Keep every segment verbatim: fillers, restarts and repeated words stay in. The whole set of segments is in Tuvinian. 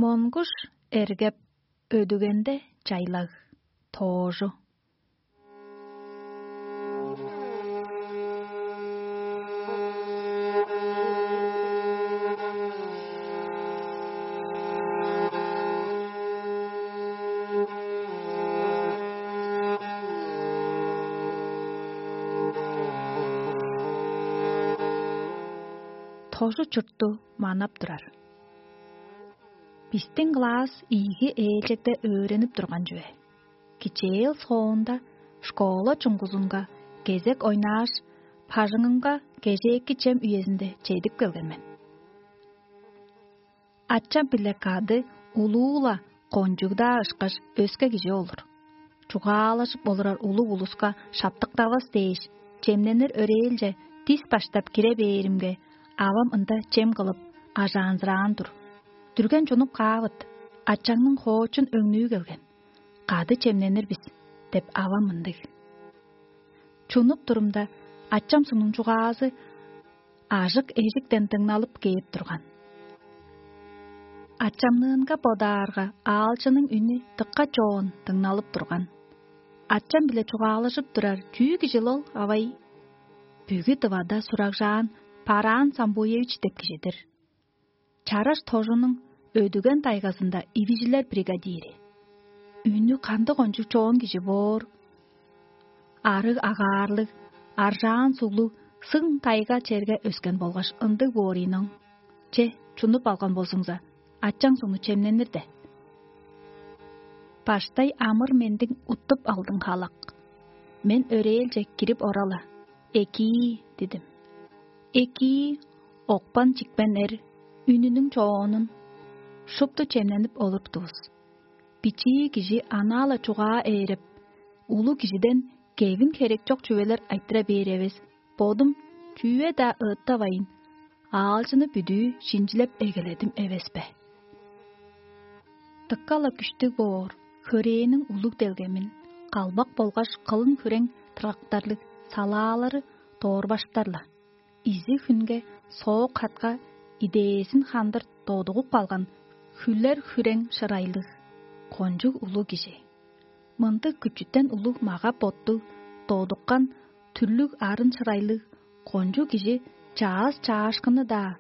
Монгуш эргеп, өдүгенде чайлаг. Тоожу. Тожу чуртту манап турар. Бистиң класс ийиги ээлчегде өөренип турган чүве. Кичээл соонда школа чуңгузунга кезек ойнааш, бажыңымга кежээки чем үезинде чедип келген мен. Ачам-биле кады улуу-ла кончуг-даа ышкаш өске кижи олур. Чугаалажып олурар улуг улуска шаптыктавас дээш, чемненир өрээлче дис баштап кире бээримге, авам ында чем кылып, ажаанзыраан тур. Дүрген чунуп каавыт, ачаңның хоочун өңнүү келген. «Кады чемненир бис» — деп авам мындыг. Чунуп турумда, ачам сугнуң чугаазы ажык-эжиктен дыңналып кээп турган. Ачамныынга бодаарга, аалчының үнү дыка чоон дыңналып турган. Ачам-биле чугаалажып турар чүү кижил ол, авай? Бүгү Тывада сурагжаан Бараан Самбуевич деп кижи-дир. Чараш тожунуң өдүген тайгазында ивижилер бригадири. Үнү кандыг кончуг чоон кижи боор? Арыг агаарлыг, аржаан суглуг, сың тайга черге өскен болгаш ындыг боор ийин оң. Че, чунуп алган болзуңза, ачаң сугну чемненир де. Баштай амыр-мендиң уттуп алдың халак. Мен өрээлче кирип орала: «Экии» — дидим. Экии, окпан-чикпен эр, үнүнүң чоонун шупту чемненип олуруптувус. Бичии кижи анаа-ла чугаа ээреп, улуг кижиден кевин херек чок чүвелер айтыра бээр эвес, бодум чүве-даа ыыттавайн, аалчыны бүдүү шинчилеп эгеледим эвес бе? Дыка-ла күштүг боор, хөрээниң улуг делгемин, калбак болгаш кылын хүрең тыргактарлыг салаалары доорбаштар-ла. Изиг хүнге, соок хатка идээзин хандыр додугуп калган хүлер хүрең шырайлыг, кончуг улуг кижи. Мындыг күчүтен улуг мага-боттуг, додуккан, түрлүг арын шырайлыг кончуг кижи чаъс-чаашкынны-даа,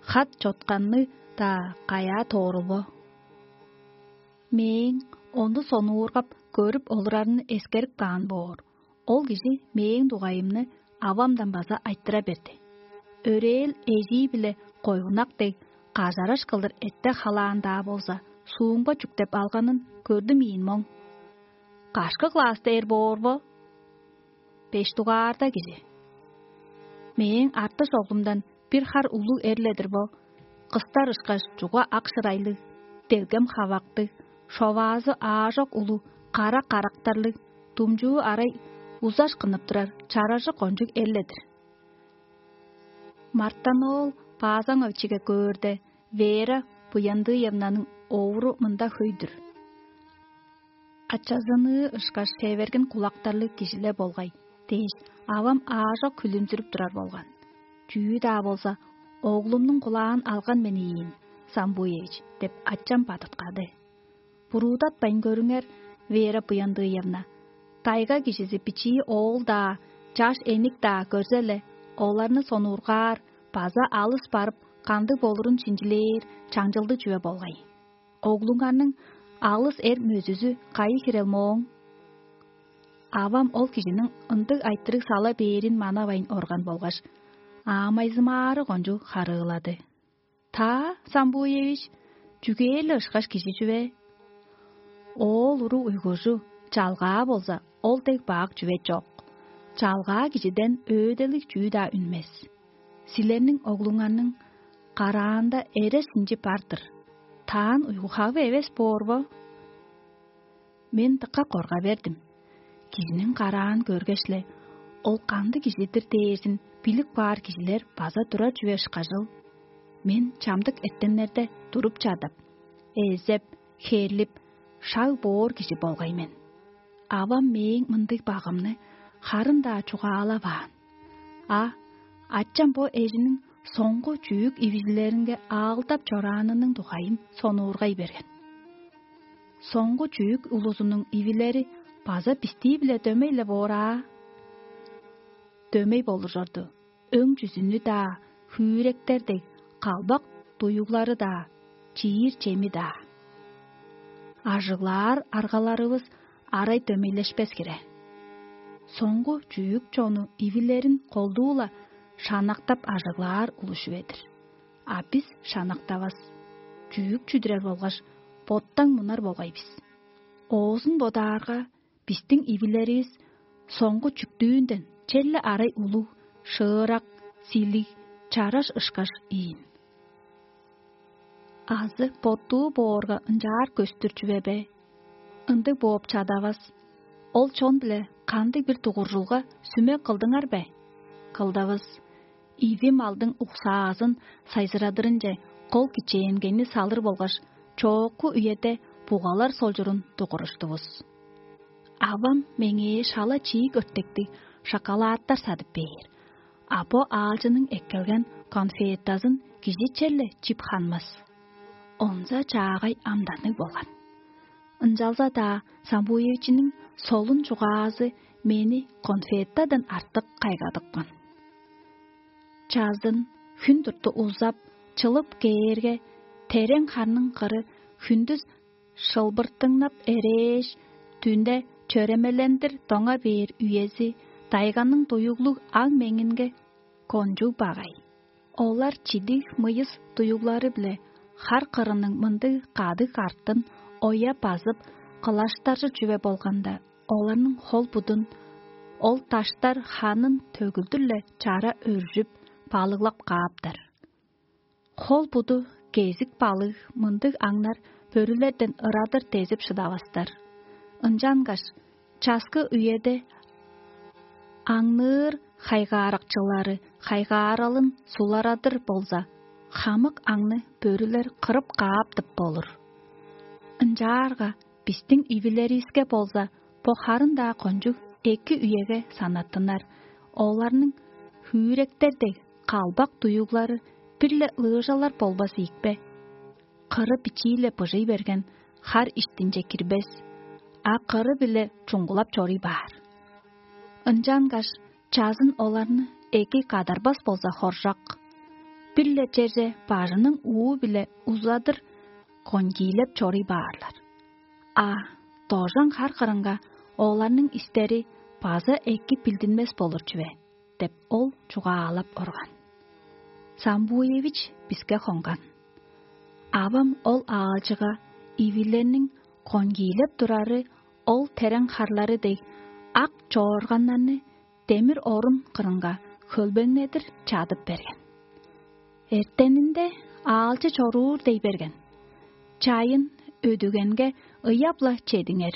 хат-чотканны-даа каяа тоорул бо? Мээң ону сонуургап көрүп олурарымны эскерип каан боор. Ол кижи мээң дугайымны авамдан база айтыра берди. Өрээл эжии-биле койгунак дег, кажараш кылдыр эттеп-халаан-даа болза, суумга чүктеп алганын көрдүм ийин моң. Кашкы класста эр боор бо? Беш дугаарда кижи. Мээң артыш оглумдан бир хар улуг эрледир бо. Кыстар ышкаш чуга ак шырайлыг, делгем хавактыг, шоваазы аажок улуг, кара карактарлыг, думчуу арай узаш кынып турар чаражы кончуг эрледир. Мартаноол Баазаңовичиге көөрде, Вера Буяндыевнаның овуру мында хөй-дүр. Ачазыныы ышкаш севергин кулактарлыг кижиле болгай дээш, авам аажок хүлүмзүрүп турар болган. Чүү-даа болза, оглумнуң кулаан алган мен ийин, Самбуевич, деп ачам бадыткады. Буруудатпайн көрүңер, Вера Буяндыевна. Тайга кижизи бичии оол-даа, чаш эник-даа көрзе-ле, оларны сонуургаар база алыс барып, кандыг болурун шинчилээр чаңчылдыг чүве болгай. Оглуңарның алыс эр мөзүзү кайы хирел мооң? Авам ол кижиниң ындыг айтырыг сала бээрин манавайн орган болгаш, аамайзымаары кончуг харыылады. Та, Самбуевич, чүгээр-ле ышкаш кижи чүве? Оол уруг уйгужу, чалгаа болза, ол дег бак чүве чок. Чалгаа кижиден өөделиг чүү-даа үнмес. Силерниң оглуңарның караанда эрес инчи бар-дыр. Таан уйгу-хавы эвес боор бо? Мен дыка корга бердим. Кижиниң караан көргеш-ле, ол кандыг кижи-дир дээрзин билип каар кижилер база турар чүве ышкажыл. Мен чамдык эртеннерде туруп чадап, эзеп, хээрлип, шаг боор кижи болгай мен. Авам мээң мындыг багымны харын-даа чугаалаваан. А ачам бо эжиниң соңгу чүүк ивижилеринге аалдап чораанының дугайын сонуургай берген. Соңгу чүүк улузунуң ивилери база бистии-биле дөмей-ле боор аа. Дөмей болужорду, өң чүзүнү-даа, хүүректер дег, калбак дуюглары-даа, чиир чеми-даа. Ажыглаар аргаларывыс арай дөмейлешпес хире. Соңгу чүүк чону ивилерин колдуу-ла шанактап ажыглаар улуш чүве-дир. А бис шанактавас, чүүк чүдүрер болгаш боттаң мунар болгай бис. Оозун бодаарга, бистиң ивилеривис соңгу чүктүүнден черле арай улуг, шыырак, силиг, чараш ышкаш ийин. Азы боттуу боорга ынчаар көстүр чүве бе? Ындыг бооп чадавас. Ол чон-биле кандыг-бир дугуржулга сүме кылдыңар бе? Кылдавыс. Иви малдың уксаазын сайзырадырынче кол кичээнгейни салыр болгаш, чоокку үеде бугалар солчурун дугуруштувус. Авам меңээ шала чиик өртектиг шоколадтар садып бээр, а бо аалчының эккелген конфетазын кижи черле чип ханмас. Онза чаагай амданныг болган. Ынчалза-даа Самбуевичиниң солун чугаазы мени конфетадан артык кайгадыпкан. Чазын хүн турту узап, чылып кээрге, терең харның кыры хүндүс шылбыртыңнап эрээш, дүнде чөремелендир доңа бээр үези дайганның дуюглуг аң меңинге кончуг багай. Олар чидиг мыйыс дуюглары-биле хар кырының мындыг кадыг артын оя базып, кылаштаржы чүве болганда, оларның хол-будун ол даштар ханын төгүлдүр-ле чара өржүп, балыглап кааптар. Хол-буду кезик балыг мындыг аңнар бөрүлерден ырадыр дезип шыдавастар. Ынчангаш часкы үеде аңныыр хайгааракчылары хайгааралын суларадыр болза, хамык аңны бөрүлер кырып кааптып болур. Ынчаарга бистиң ивилеривиске болза, бо харын-даа кончуг эки үеге санаттынар. Оларның хүүректер дег калбак дуюглары бир-ле лыыжалар болбас ийикпе? Кыры бичии-ле быжый берген хар иштинче кирбес, а кыры-биле чуңгулап чоруй баар. Ынчангаш чазын оларны эки кадарбас болза хоржок, бир-ле черже бажының уу-биле узадыр кончиилеп чоруй баарлар. А дожан хар кырынга оларның истери база эки билдинмес болур чүве деп, ол чугаалап орган. Самбуевич биске хонган. Авам ол аалчыга ивилерниң конгиилеп турары ол терең харлары дег ак чоорганнарны демир орун кырынга хөлбеңнедир чадып берген. Эртенинде аалчы чоруур дей берген. Чайын өдүгенге ыяп-ла чедиңер.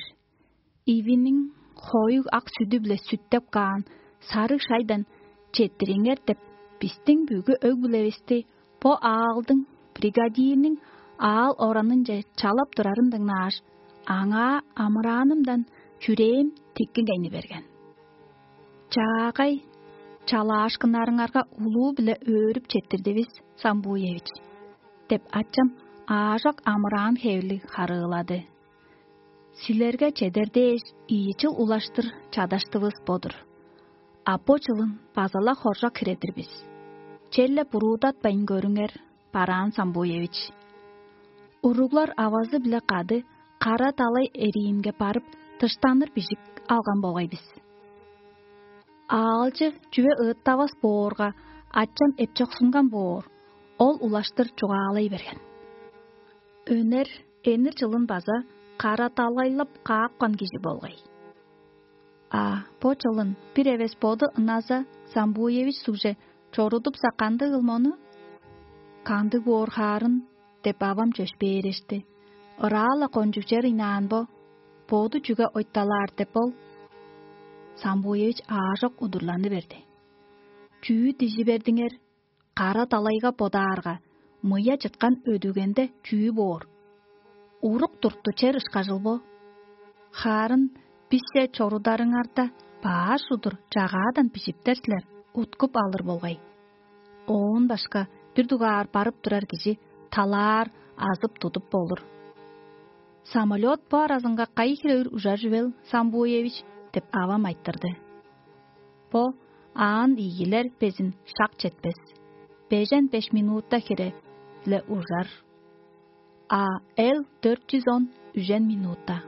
Ивиниң хоюг ак сүдү-биле сүттеп каан сарыг шайдан четтириңер деп, бистиң бүгү өг-бүлевисти бо аалдың бригадирниң аал оранынче чалап турарын дыңнааш, аңаа амыраанымдан чүрээм тиккингейни берген. Чаагай чалаашкыннарыңарга улуу-биле өөрүп четтирдивис, Самбуевич, деп ачам аажок амыраан хевирлиг харыылады. Силерге чедер дээш ийи чыл улаштыр чадаштывыс бо-дур. А бо чылын база-ла хоржок хире-дир бис. Черле буруудатпайн көрүңер, бараан Самбуевич. Уруглар авазы-биле кады кара далай эриинге барып, дыштаныр бижик алган болгай бис. Аалчы чүве ыыттавас боорга, ачам эпчоксунган боор, ол улаштыр чугаалай берген. Өнер энир чылын база кара далайлап каапкан кижи болгай. А бо чылын бир эвес боду ыназа Самбуевич сугже чорудупса, кандыг ыл мону? Кандыг боор хаарын? Деп авам чөпшээрешти. Ыраа-ла кончуг чер ыйнаан бо, боду чүге ойталаар деп ол? Самбуевич аажок удурланы берди. Чүү дижи бердиңер? Кара далайга бодаарга, мыя чыткан өдүгенде чүү боор? Урук турту чер ышкажыл бо. Хаарын бисче чорударыңарда баш удур чагаадан бижиптер силер, уткуп алыр болгай. Оон башка бир дугаар барып турар кижи талаар азып тудуп болур. «Самолёт бо аразынга кайы хире үр ужар чүвел, Самбуевич?» – деп авам айтырды. Бо аан ийгилер безин шак четпес. Бежен беш минутта хире-ле ужар. А Л дөрт чүс он үжен минутта.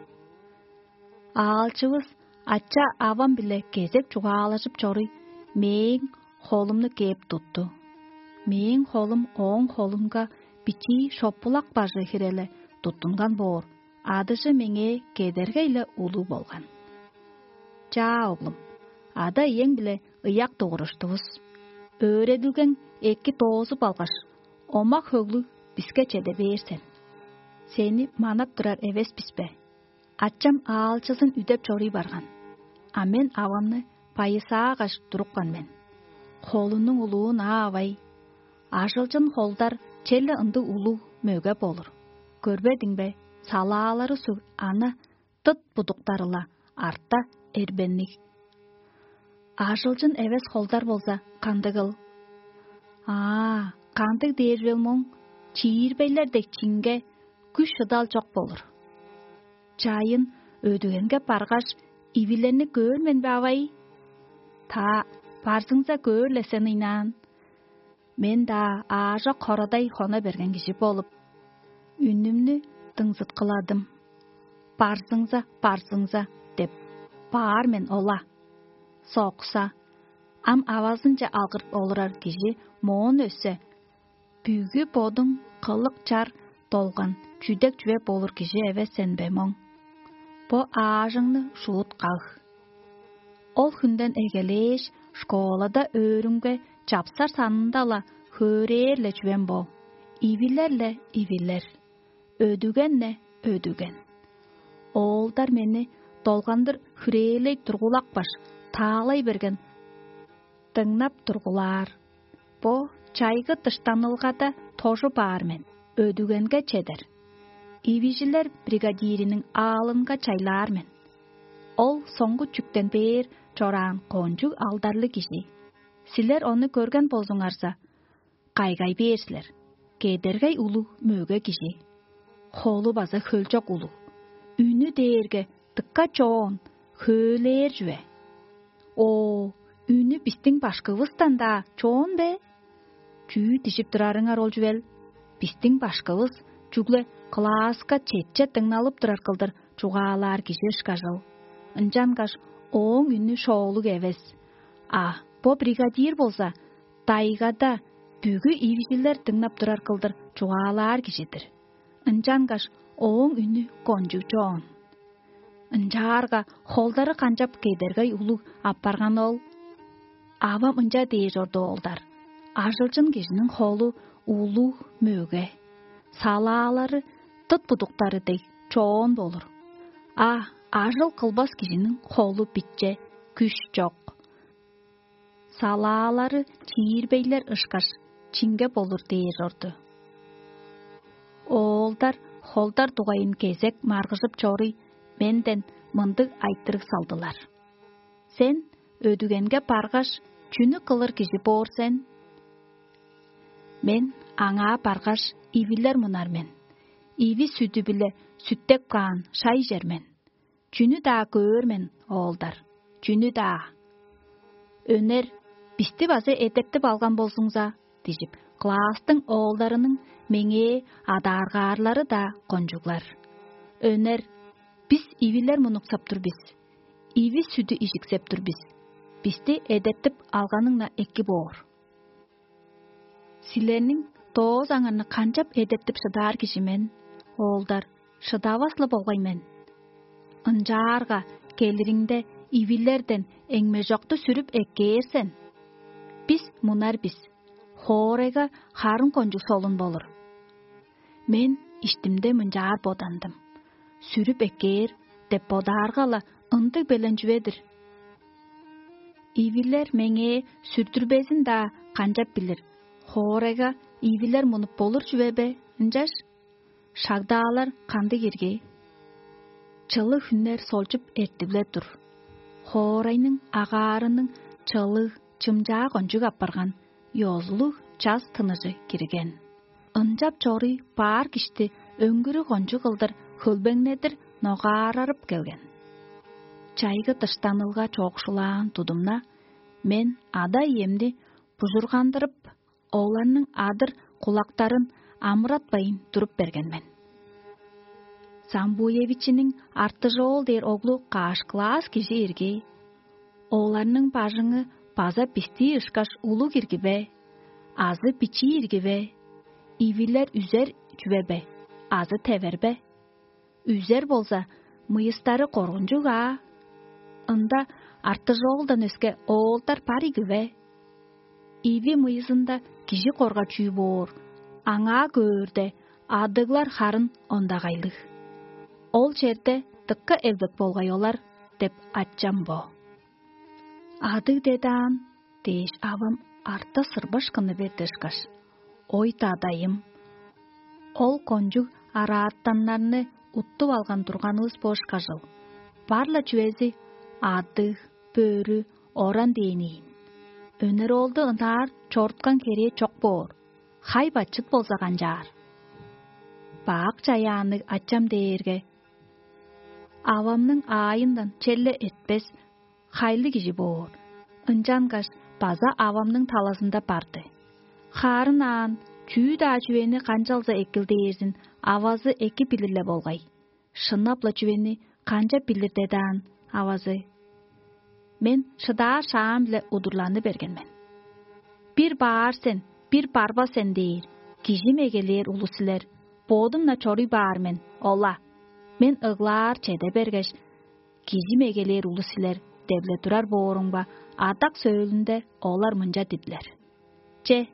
Аалчывыс ача-авам-биле кезек чугаалажып чоруй, мээң холумну кээп тутту. Мээң холум ооң холунга бичии шопулак бажы хире-ле туттунган боор, адыжы меңээ кедергей-ле улуг болган. «Чаа, оглум, ада-иең-биле ыяк дугуруштувус. Өөредилгең эки доозуп алгаш, омак-хөглүг биске чеде бээр сен. Сени манап турар эвес бис бе? Ачам аалчызын үдеп чоруй барган, а мен авамны байысаагаш турупкан мен. Холунуң улуун аа авай. Ажылчын холдар черле ындыг улуг мөге болур. Көрбедиң бе, салаалары суг ана дыт будуктары-ла арта эрбенниг. Ажылчын эвес холдар болза, кандыгыл? Аа, кандыг дээр бел моң, чиирбейлер дег чинге күш-шыдал чок болур. Чайын өдүгенге баргаш, ивилерни көөр мен бе, авай? Та, барзыңза көөр-ле сен ыйнаан. Мен-даа аажок хорадай хона берген кижи болуп, үнүмнү дыңзыткыладым. «Барзыңза, барзыңза» – деп баар мен ола. Сокса, ам авазынче алгырып олурар кижи моон өссе, бүгү бодуң кылык чар долган чүдек чүве болур кижи эвес сен бе моң? Бо аажыңны шуут каг. Ол хүнден эгелээш, школада өөрүмге чапсар санында-ла хөөрээр-ле чүвем бо: ивилер-ле ивилер, өдүген-не өдүген. Оолдар мени долгандыр хүрээлей тургулапкаш, таалай берген дыңнап тургулаар. Бо чайгы дыштанылгада тожуп аар мен, өдүгенге чедер. Ивижилер бригадириниң аалынга чайлаар мен. Ол соңгу чүктен бээр чораан кончуг алдарлыг кижи. Силер ону көрген болзуңарза, кайгай бээр силер. Кедергей улуг мөге кижи. Холу база хөлчок улуг. Үнү дээрге дыка чоон, хөөлээр чүве. О, үнү бистиң башкывыстан-даа чоон бе? Чүү дижип турарыңар ол чүвел? Бистиң башкывыс чүгле класска четче дыңналып турар кылдыр чугаалаар кижи ышкажыл. Ынчангаш ооң үнү шоолуг эвес. А бо бригадир болза, дайгада бүгү ивжилер дыңнап турар кылдыр чугаалаар кижи-дир. Ынчангаш ооң үнү кончуг чоон. Ынчаарга холдары канчап кедергей улуг апарган ол? Авам ынча дээр чорду, оолдар: ажылчын кижиниң холу улуг мөге, салаалары дыт будуктары дег чоон болур. А ажыл кылбас кижиниң холу биче, күш чок. Салаалары чиирбейлер ышкаш, чинге болур дээр чорду. Оолдар холдар дугайын кезек маргыжып чоруй, менден мындыг айтырыг салдылар: «Сен өдүгенге баргаш, чүнү кылыр кижи боор сен?» Мен аңаа баргаш, ивилер мунар мен. Иви-сүдү-биле сүттеп каан шай чер мен. Чүнү-даа көөр мен, оолдар, чүнү-даа. Өнер: «Бисти база эдертип алган болзуңза» – дижип, класстың оолдарының меңээ адааргаарлары-даа кончуглар. Өнер: «Бис ивилер мунуксап тур бис, иви-сүдү ижиксеп тур бис, бисти эдертип алганың-на эки боор». Силерниң доозаңарны канчап эдертип шыдаар кижи мен, оолдар, шыдавас-ла болгай мен. Ынчаарга келириңде ивилерден эңмежокту сүрүп эккээр сен. Бис мунар бис, хоорайга харын кончуг солун болур. Мен иштимде мынчаар бодандым: «Сүрүп эккээр» деп бодаарга-ла, ындыг белен чүве-дир. Ивилер меңээ сүрдүрбезин-даа канчап билир? Хоорайга ивилер мунуп болур чүве бе ынчаш? Шагдаалар кандыг ирги? Чылыг хүннер солчуп эртип-ле тур. Хоорайның агаарының чылыг чымчаа кончуг апарган, ёзулуг час тыныжы кирген. Ынчап чоруй баар кишти өңгүрү кончуг кылдыр хөлбеңнедир ногаарарып келген. Чайгы дыштанылга чоокшулаан тудумна, мен ада-иемни бужургандырып, оларның адыр кулактарын амыратпайн туруп берген мен. Самбуевичиниң Артыжоол дээр оглу каш класс кижи ирги? Оларның бажыңы база бистии ышкаш улуг ирги бе? Азы бичии ирги бе? Ивилер үзер чүве бе? Азы тевер бе? Үзер болза, мыйыстары коргунчуг аа. Ында Артыжоолдан өске оолдар бар иги бе? Иви мыйызында кижи корга чүү боор, аңаа көөрде, адыглар харын ондагайлыг. Ол черде дыкка элбек болгай олар деп ачам бо. Адыг дедаан дээш, авам арта сырбашкыны берди ышкаш: «Ой, дадайым, ол кончуг араатаннарны уттуп алган турганывыс бо ышкажыл. Бар-ла чүвези адыг, бөрү, оран дээн ийин. Өнер оолду ынаар чоруткан херээ чок боор. Хай-бачыт болза канчаар?» Бак чаяанныг ачам дээрге, авамның аайындан черле эртпес, хайлы кижи боор. Ынчангаш база авамның талазында барды. Хаарын аан, чүү-даа чүвени канчалза экил дээрзин авазы эки билир-ле болгай. Шынап-ла чүвени канчап билир дедаан авазы? Мен шыдаар шаам-биле удурланы берген мен. «Бир баар сен, бир барбас сен» дээр, кижим эгелээр улус силер, бодум-на чоруй баар мен, ола. Мен ыглаар чеде бергеш, кижим эгелээр улус силер деп-ле турар бооруңба, адак сөөлүнде олар мынча дидилер: «Че,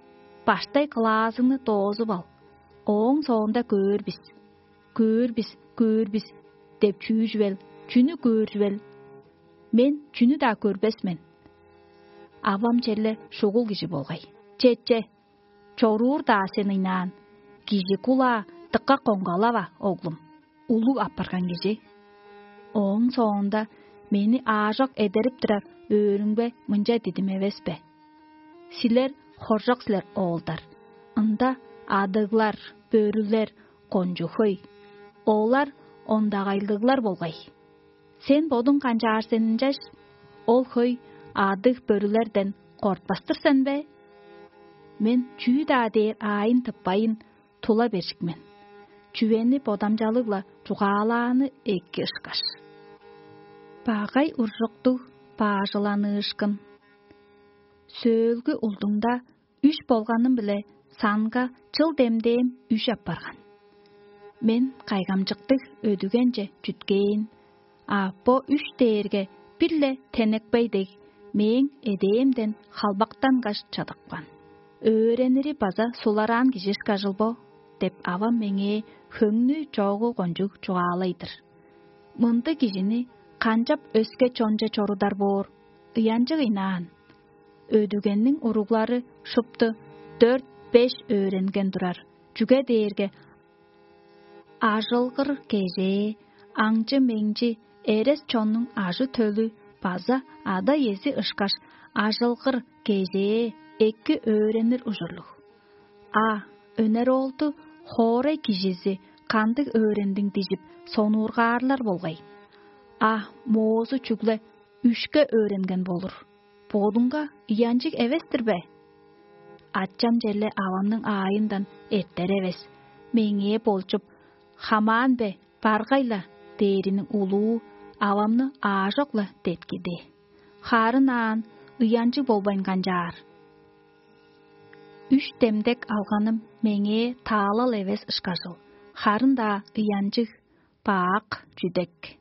баштай кылаазыңны доозуп ал, ооң соонда көөр бис, көөр бис, көөр бис» деп чүү чүвел, чүнү көөр чүвел? Мен чүнү-даа көрбес мен. Авам черле шугул кижи болгай. Че, че, чоруур-даа сен ыйнаан, кижи кулаа дыка коңгалава, оглум, улуг апарган кижи. Ооң соонда мени аажок эдерип турар өөрүңбе мынча дидим эвес бе? Силер хоржок силер, оолдар. Ында адыглар, бөрүлер, кончуг хөй. Олар ондагайлыглар болгай. Сен бодуң канчаар сен ынчаш? Ол хөй адыг бөрүлерден кортпас-тыр сен бе? Мен чүү-даа дээр аайын тыппайн, тула бержик мен. Чүвени бодамчалыг-ла чугаалааны эки ышкаш. Багай уржуктуг баажыланыышкын. Сөөлгү улдуңда үш болганым-биле санга чыл демдээм үш апарган. Мен кайгамчыктыг өдүгенче чүткээн, а бо үш дээрге бир-ле тенекпей дег, мээң эдээмден халбактангаш чадыпкан. «Өөренири база сулараан кижи ышкажыл бо» деп, авам меңээ хөңнү чоогу кончуг чугаалай-дыр. Мындыг кижини канчап өске чонче чорудар боор, ыянчыг ыйнаан. Өдүгенниң уруглары шупту дөрт-беш өөренген турар, чүге дээрге ажылгыр кежээ, аңчы-меңчи, эрес чоннуң ажы-төлү база ада-иези ышкаш ажылгыр кежээ эки өөренир ужурлуг. А өнер оолду хоорай кижизи кандыг өөрендиң дижип сонуургаарлар болгай? А моозу чүгле үшке өөренген болур. Бодуңга ыянчыг эвес-тир бе? Ачам черле авамның аайындан эртер эвес, меңээ болчуп: «Хамаан бе, баргай-ла» дээриниң улуу авамны аажок-ла деткиди. Харын аан ыянчыг болбайн канчаар? Үш демдек алганым меңээ таалал эвес ышкажыл, харын-даа ыянчыг, бак чүдек.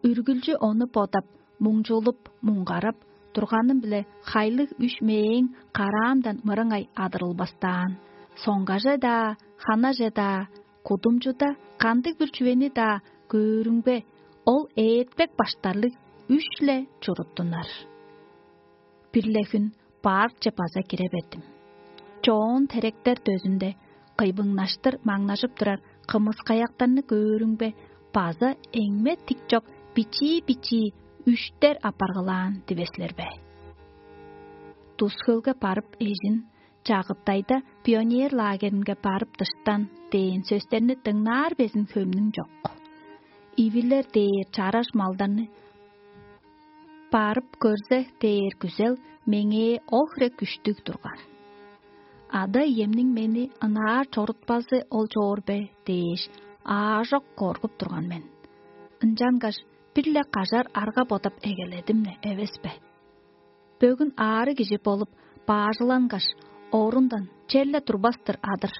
Үргүлчү ону бодап, муңчулуп, муңгарап турганым-биле хайлыг үш мээң караамдан мырыңай адырылбастаан. Соңгаже-даа, ханаже-даа, кудумчуда кандыг-бир чүвени-даа көөрүңбе, ол ээртпек баштарлыг үш-ле чуруттунар. Бир-ле хүн баарче база кире бердим. Чоон теректер дөзүнде кыйбыңнаштыр маңнажып турар кымыскаяктарны көөрүңбе, база эңме тик чок бичии-бичии үштер апаргылаан дивес силер бе? Тус-хөлге барып эжин, Чагыттайда пионер лагеринге барып дыштан дээн сөстерни дыңнаар безин хөмнүң чок. Ивилер дээр чараш малдарны барып көрзе дээр күзел меңээ ол хире күштүг турган. Ада-иемниң мени ынаар чорутпазы ол чоор бе дээш, аажок коргуп турган мен. Ынчангаш бир-ле кажар арга бодап эгеледим-не эвес бе? Бөгүн аарыг кижи болуп, баажылангаш, орундан черле турбас-тыр адыр.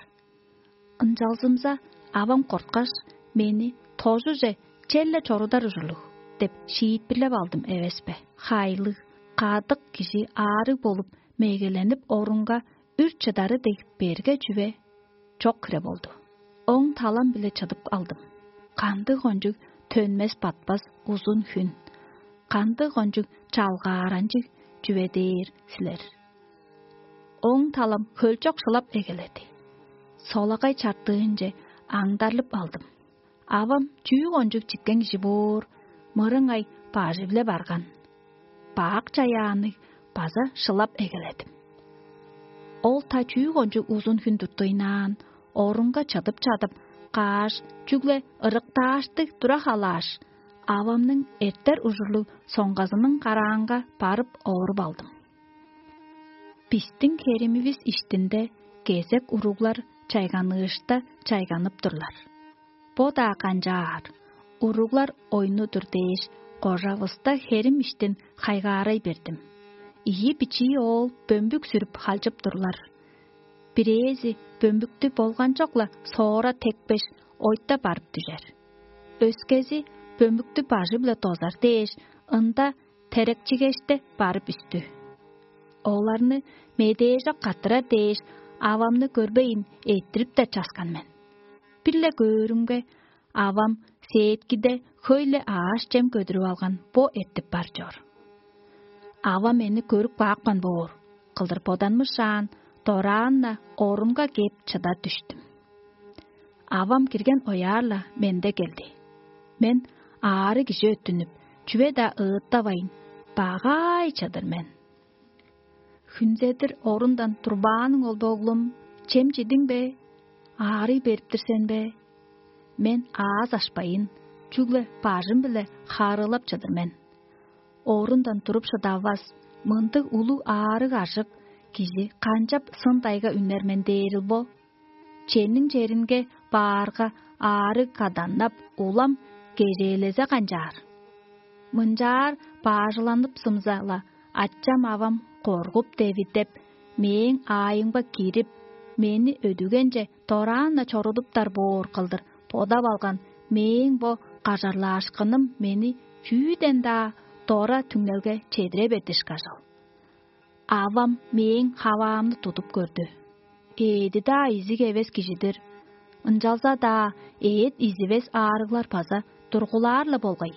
Ынчалзымза, авам корткаш, мени тожуже черле чорудар ужурлуг деп шиитпирлеп алдым эвес бе? Хайлыг, кадык кижи аарыг болуп, мегеленип орунга үр чыдары дег берге чүве чок хире болду. Оң талам-биле чыдып алдым. Кандыг кончуг төнмес-батпас узун хүн, кандыг кончуг чалгааранчыг чүве дээр силер. Оң талам хөлчок шылап эгеледи. Солагай чартыынче аңдарлып алдым. Авам чүү кончуг читкен кижи боор, мырыңай бажы-биле барган. Бак чаяанныг база шылап эгеледим. Ол та чүү кончуг узун хүн туттуйнаан, орунга чыдып чадып, кааш, чүгле ырыктааштыг тура халааш, авамның эртер ужурлуг соңгазының караанга барып ооруп алдым. Бистиң херимивис иштинде кезек уруглар чайганыышта чайганып турлар. Бо-даа канчаар, уруглар ойну-дур дээш, кожавыста херим иштин хайгаарай бердим. Ийи бичии оол бөмбүк сүрүп халчып турлар. Бирээзи бөмбүктү болганчок-ла соора текпеш, ойта барып дүжер. Өскези бөмбүктү бажы-биле дозар дээш, ында терекчигеште барып үстү. Оларны медээжок каттырар дээш, авамны көрбейн, эттирип-даа часкан мен. Бир-ле көөрүмге, авам сээткиде хөй-ле аъш-чем көдүрүп алган бо эртип бар чоор. Авам мени көрүп каапкан боор кылдыр боданмышаан, дораан-на орунга кээп чыда дүштүм. Авам кирген ояар-ла менде келди. Мен аарыг кижи өттүнүп, чүве-даа ыыттавайн, багай чыдыр мен. Хүнзедир орундан турбааның ол, боглум, чем чидиң бе? Аарый берип-тир сен бе? Мен ааз ашпайын, чүгле бажым-биле хаарыылап чыдыр мен. Орундан туруп шыдавас, мындыг улуг аарыг-аржык кижи канчап сын-дайга үнер мен дээрил бо? Чениң черинге баарга, аарыг каданнап, улам кежээлезе канчаар? Мынчаар баажыланыпсымза-ла, ачам-авам коргуп-девидеп, мээң аайымга кирип, мени өдүгенче дораан-на чорудуптар боор кылдыр бодап алган мээң бо кажарлаашкыным мени чүүден-даа дора түңнелге чедире бердиш кажыл. Авам мээң хаваамны тудуп көрдү. Ээди-даа изиг эвес кижи-дир. Ынчалза-даа эът изивес аарыглар база тургулаар-ла болгай.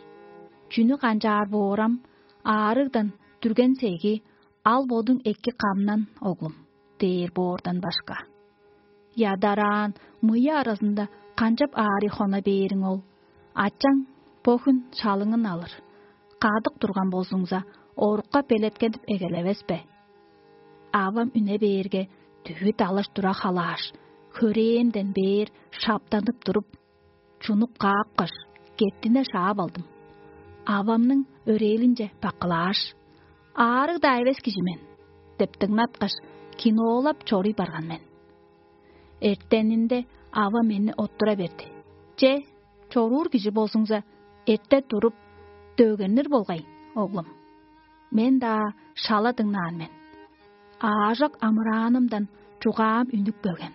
Чүнү канчаар боорам, аарыгдан дүрген сеги, ал бодуң эки камнан, оглум, дээр боордан башка. Ядараан мыйы аразында канчап аарый хона бээриң ол? Ачаң бо хүн шалыңын алыр. Кадык турган болзуңза, орукка белеткедип эгелевес бе? Авам үне бээрге, дүвүт алаш тура халааш, хөрээнден бээр шаптанып туруп, чунуп каапкаш, кеттине шаап алдым. Авамның өрээлинче баккылааш: «Аарыг-даа эвес кижи мен» — деп дыңнаткаш, киноолап чоруй барган мен. Эртенинде авам мени оттура берди: «Че, чоруур кижи болзуңза, эрте туруп, дөгеннер болгай, оглум». Мен-даа шала дыңнаан мен. Аажок амыраанымдан чугаам үнүп келген.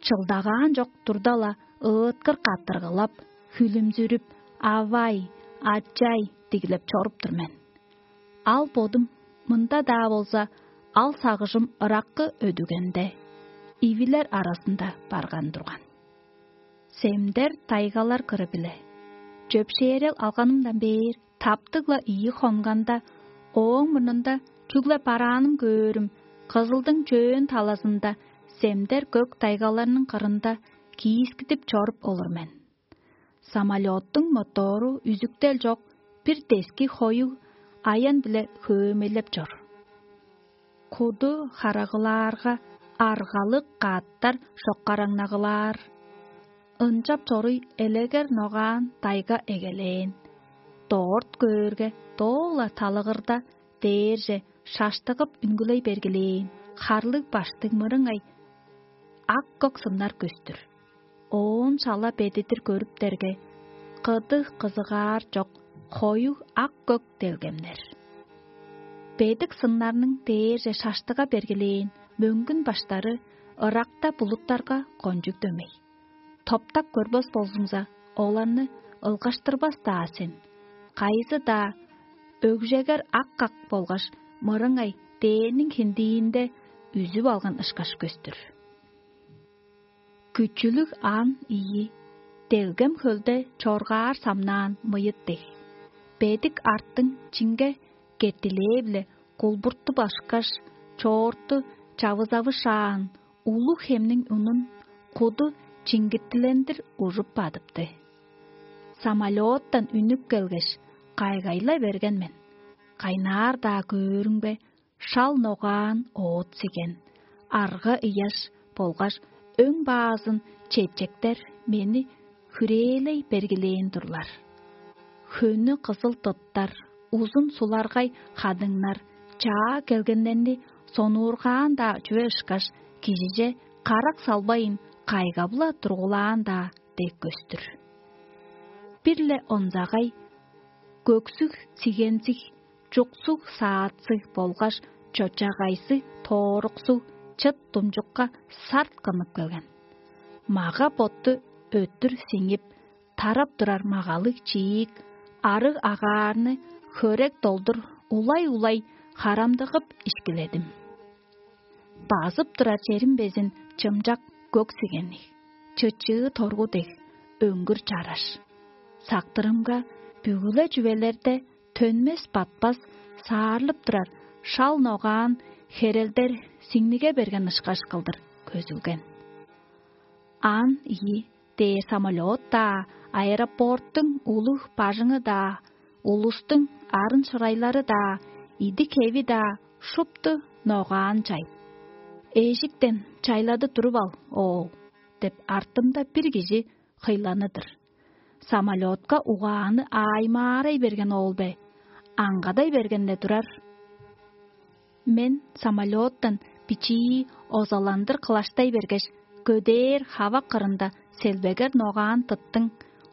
Чылдагаан чок турда-ла, ыыткыр каттыргылап, хүлүмзүрүп: «Авай, ачай!» — дигилеп чоруп тур мен. Ал бодум мында-даа болза, ал сагыжым ыраккы өдүгенде, ивилер аразында барган турган. Семдер тайгалар кыры-биле. Чөпшээрел алганымдан бээр таптыг-ла ийи хонганда, ооң мурнунда чүгле барааным көөрүм, Кызылдың чөөн талазында семдер көк тайгаларның кырында киискидип чоруп олур мен. Самолёттуң мотору үзүктел чок, бир дески хоюг аян-биле хөөмейлеп чор. Куду харагылаарга, аргалыг каъттар шоккараңнагылаар. Ынчап чоруй элегер ногаан дайга эгелээн. Доорт көөрге, доо-ла талыгырда дээрже шаштыгып үнгүлей бергилээн харлыг баштыг мырыңай ак-көк сыннар көстүр. Оон шала бедидир көрүптерге, кыдыг кызыгаар чок, хоюг ак-көк делгемнер. Бедик сыннарның дээрже шаштыга бергилээн мөңгүн баштары ыракта булуттарга кончуг дөмей. Топтап көрбес болзуңза, оларны ылгаштырбас-даа сен. Кайызы-даа өгжегер ак-ак болгаш мырыңай дээрниң хиндиинде үзүп алган ышкаш көстүр. Күчүлүг аан ийи, делгем хөлде чоргаар самнаан мыйыт дег. Бедик арттың чинге кеттилээ-биле кулбурту башкаш, чоорту чавызавышаан, улуг хемниң унун куду чингиттилендир ужуп бадыпты. Самолеттан үнүп келгеш, кайгай-ла берген мен. Кайнаар-даа көөрүңбе, шал ногаан оът сиген, арга ыяш болгаш өң баазын чепчектер мени хүрээлей бергилээн турлар. Хөнү кызыл тыттар, узун суларгай хадыңнар чаа келгеннерни сонуургаан-даа чүве ышкаш, кижиже карак салбайын кайгап-ла тургулаан-даа дег көстүр. Бир-ле онзагай көксүг сигензиг, чуксуг саатсыг болгаш чочагайзыг тооруксуг чыт думчукка сарт кынып келген. Мага-ботту өттүр сиңип, тарап турар магалыг чиик, арыг агаарны хөрек долдур улай-улай харамдыгып ишкиледим. Базып турар черим безин чымчак көк сигенниг, чычыы торгу дег өңгүр чараш. Сактырымга, бүгү-ле чүвелерде төнмес-батпас саарлып турар шал ногаан херелдер сиңниге берген ышкаш кылдыр көзүлген. Аан ийи дээр самолет-даа, аэропорттуң улуг бажыңы-даа, улустуң арын-шырайлары-даа, идик-хеви-даа шупту ногаан чайып: «Эжиктен чайлады туруп ал, оол» — деп, артымда бир кижи хыйланы-дыр. Самолетка угааны ааймаарай берген оол бе, аңгадай берген-не турар. Мен самолеттан бичии озаландыр кылаштай бергеш, көдээр хава кырында селбегер ногаан тыттың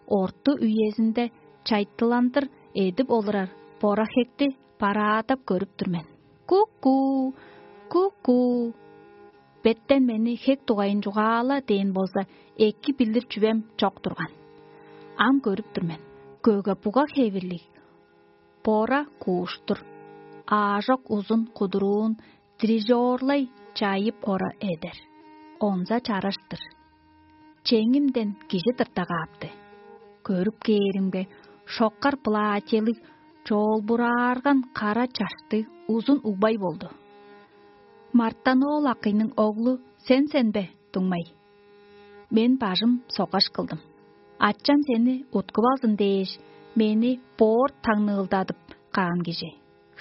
орту үезинде чайтыландыр эдип олурар бора-хекти бараадап көрүп тур мен. «Ку-ку! Ку-ку!» Беттен мени хек дугайын чугаала дээн болза, эки билир чүвем чок турган. Ам көрүп тур мен: көге-буга хевирлиг бора кууштур, аажок узун кудуруун дирижёрлай чайып ора эдер. Онза чараш-тыр. Чеңимден кижи тырта каапты. Көрүп кээримге, шоккар платьелиг, чоолбураарган кара чаштыг узун угбай болду. «Мартаноол акыйның оглу сен сен бе, дуңмай?» Мен бажым соккаш кылдым. «Ачам сени уткуп алзын дээш, мени боорт таңныылдадып каан кижи.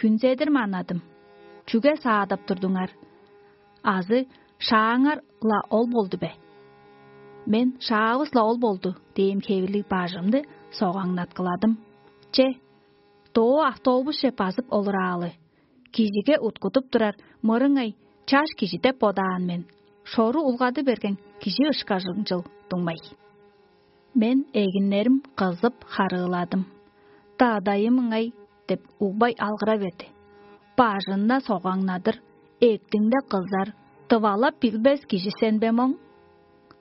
Хүнзедир манадым. Чүге саадап турдуңар? Азы шааңар-ла ол болду бе?» Мен «Шаавыс-ла ол болду» дээн хевирлиг бажымны согаңнаткыладым. Че, доо автобусче базып олураалы. Кижиге уткудуп турар мырыңай чаш кижи деп бодаан мен, шору улгады берген кижи ышкажыңчыл дуңмай. Мен эгиннерим кызып харыыладым. «Дадайым ыңай» — деп угбай алгыра берди. «Бажынна согаңнадыр, эктиңде кызар, тывалап билбес кижи сен бе моң?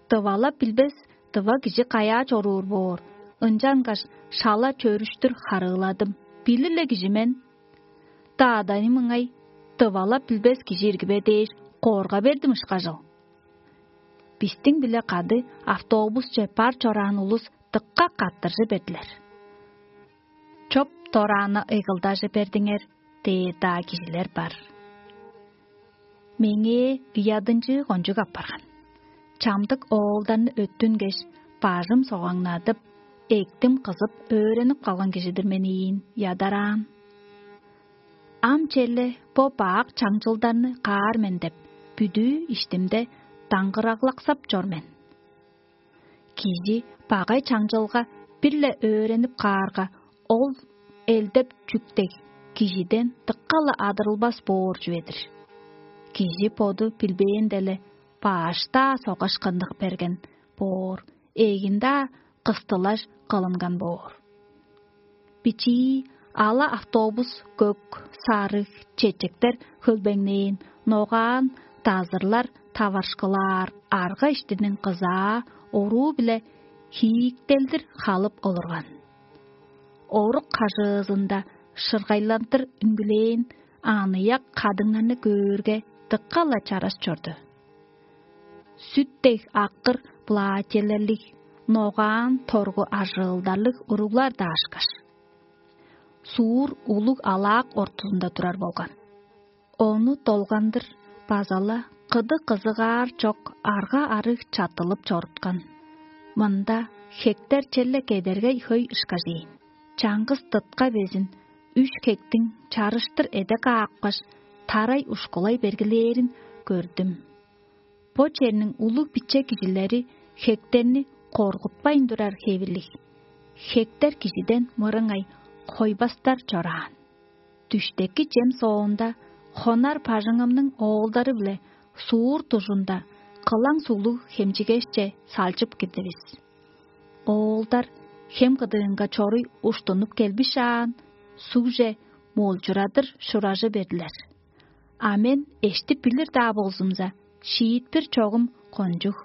Тывалап билбес тыва кижи каяа чоруур боор?» Ынчангаш шала чөрүштүр харыыладым: «Билир-ле кижи мен». «Дадайым ыңай, тывалап билбес кижи ирги бе дээш, корга бердим ышкажыл». Бистиң-биле кады автобусче бар чораан улус дыка каттыржы бердилер. «Чоп дорааны ыйгылдажы бердиңер» — дээр-даа кижилер бар. Меңээ ыядынчыы кончуг апарган. Чамдык оолдарны өттүнгеш, бажым согаңнадып, эктим кызып, өөренип калган кижи-дир мен ийин, ядараан. Ам черле бо бак чаңчылдарны каар мен деп, бүдүү иштимде даңгыраглаксап чор мен. Кижи багай чаңчылга бир-ле өөренип каарга, ол элдеп чүктег кижиден дыкка-ла адырылбас боор чүве-дир. Кижи боду билбээн-деле баш-даа согаш кындык берген боор, ээгин-даа кыстылаш кылынган боор. Бичии ала автобус, көк, сарыг, чечектер хөлбеңнээн, ногаан, дазырлар таварышкылаар арга иштиниң кызаа оруу-биле хииктелдир халып олурган. Орук кажыызында шыргайландыр үнгүлээн аныяк кадыңнарны көөрге, дыка-ла чараш чорду. Сүт дег аккыр платьелерлиг, ногаан торгу ажыылдарлыг уруглар даашкаш, суур улуг алаак ортузунда турар болган. Ону долгандыр база-ла кыды кызыгаар чок арга-арыг чаттылып чоруткан. Мында хектер черле кедергей хөй ышкажыйн. Чаңгыс дытка безин үш хектиң чарыштыр эде каапкаш, тарай ушкулай бергилээрин көрдүм. Бо черниң улуг-биче кижилери хектерни коргутпайн турар хевирлиг. Хектер кижиден мырыңай койбастар чораан. Дүштеки чем соонда хонар бажыңымның оолдары-биле суур дужунда кылаң суглуг хемчигешче салчып кирдивис. Оолдар хем кыдыынга чоруй уштунуп келбишаан, сугже молчурадыр шуражы бердилер. А мен эштип билир-даа болзумза, шиитпир чогум кончуг.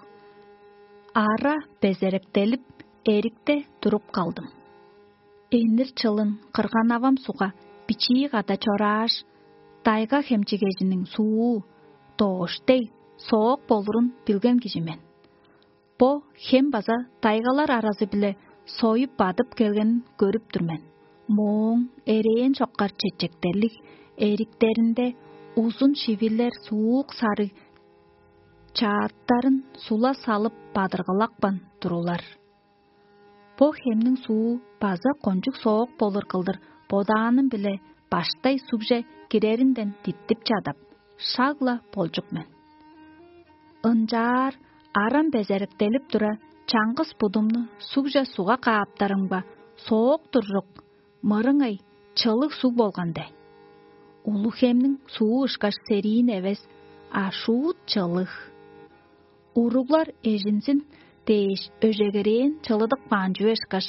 Ара безеректелип, эрикте туруп калдым. Энир чылын кырган-авам суга бичии када чорааш, тайга хемчигежиниң суу, доош дег, соок болурун билген кижи мен. Бо хем база тайгалар аразы-биле союп бадып келгенин көрүп тур мен. Мооң эрээн чоккар чечектерлиг эриктеринде узун шивилер суук сарыг чааттарын сула салып бадыргылапкан турулар. Бо хемниң суу база кончуг соок болур кылдыр бодааным-биле баштай сугже киреринден диттип чадап, шаг-ла болчук мен. Ынчаар арам безеректелип тура, чаңгыс будумну сугже суга кааптарымга, соок туржук, мырыңай чылыг суг болган де. Улуг хемниң суу ышкаш сериин эвес, а шуут чылыг. Уруглар эжинзин дээш өжегерээн чылыдып каан чүве ышкаш,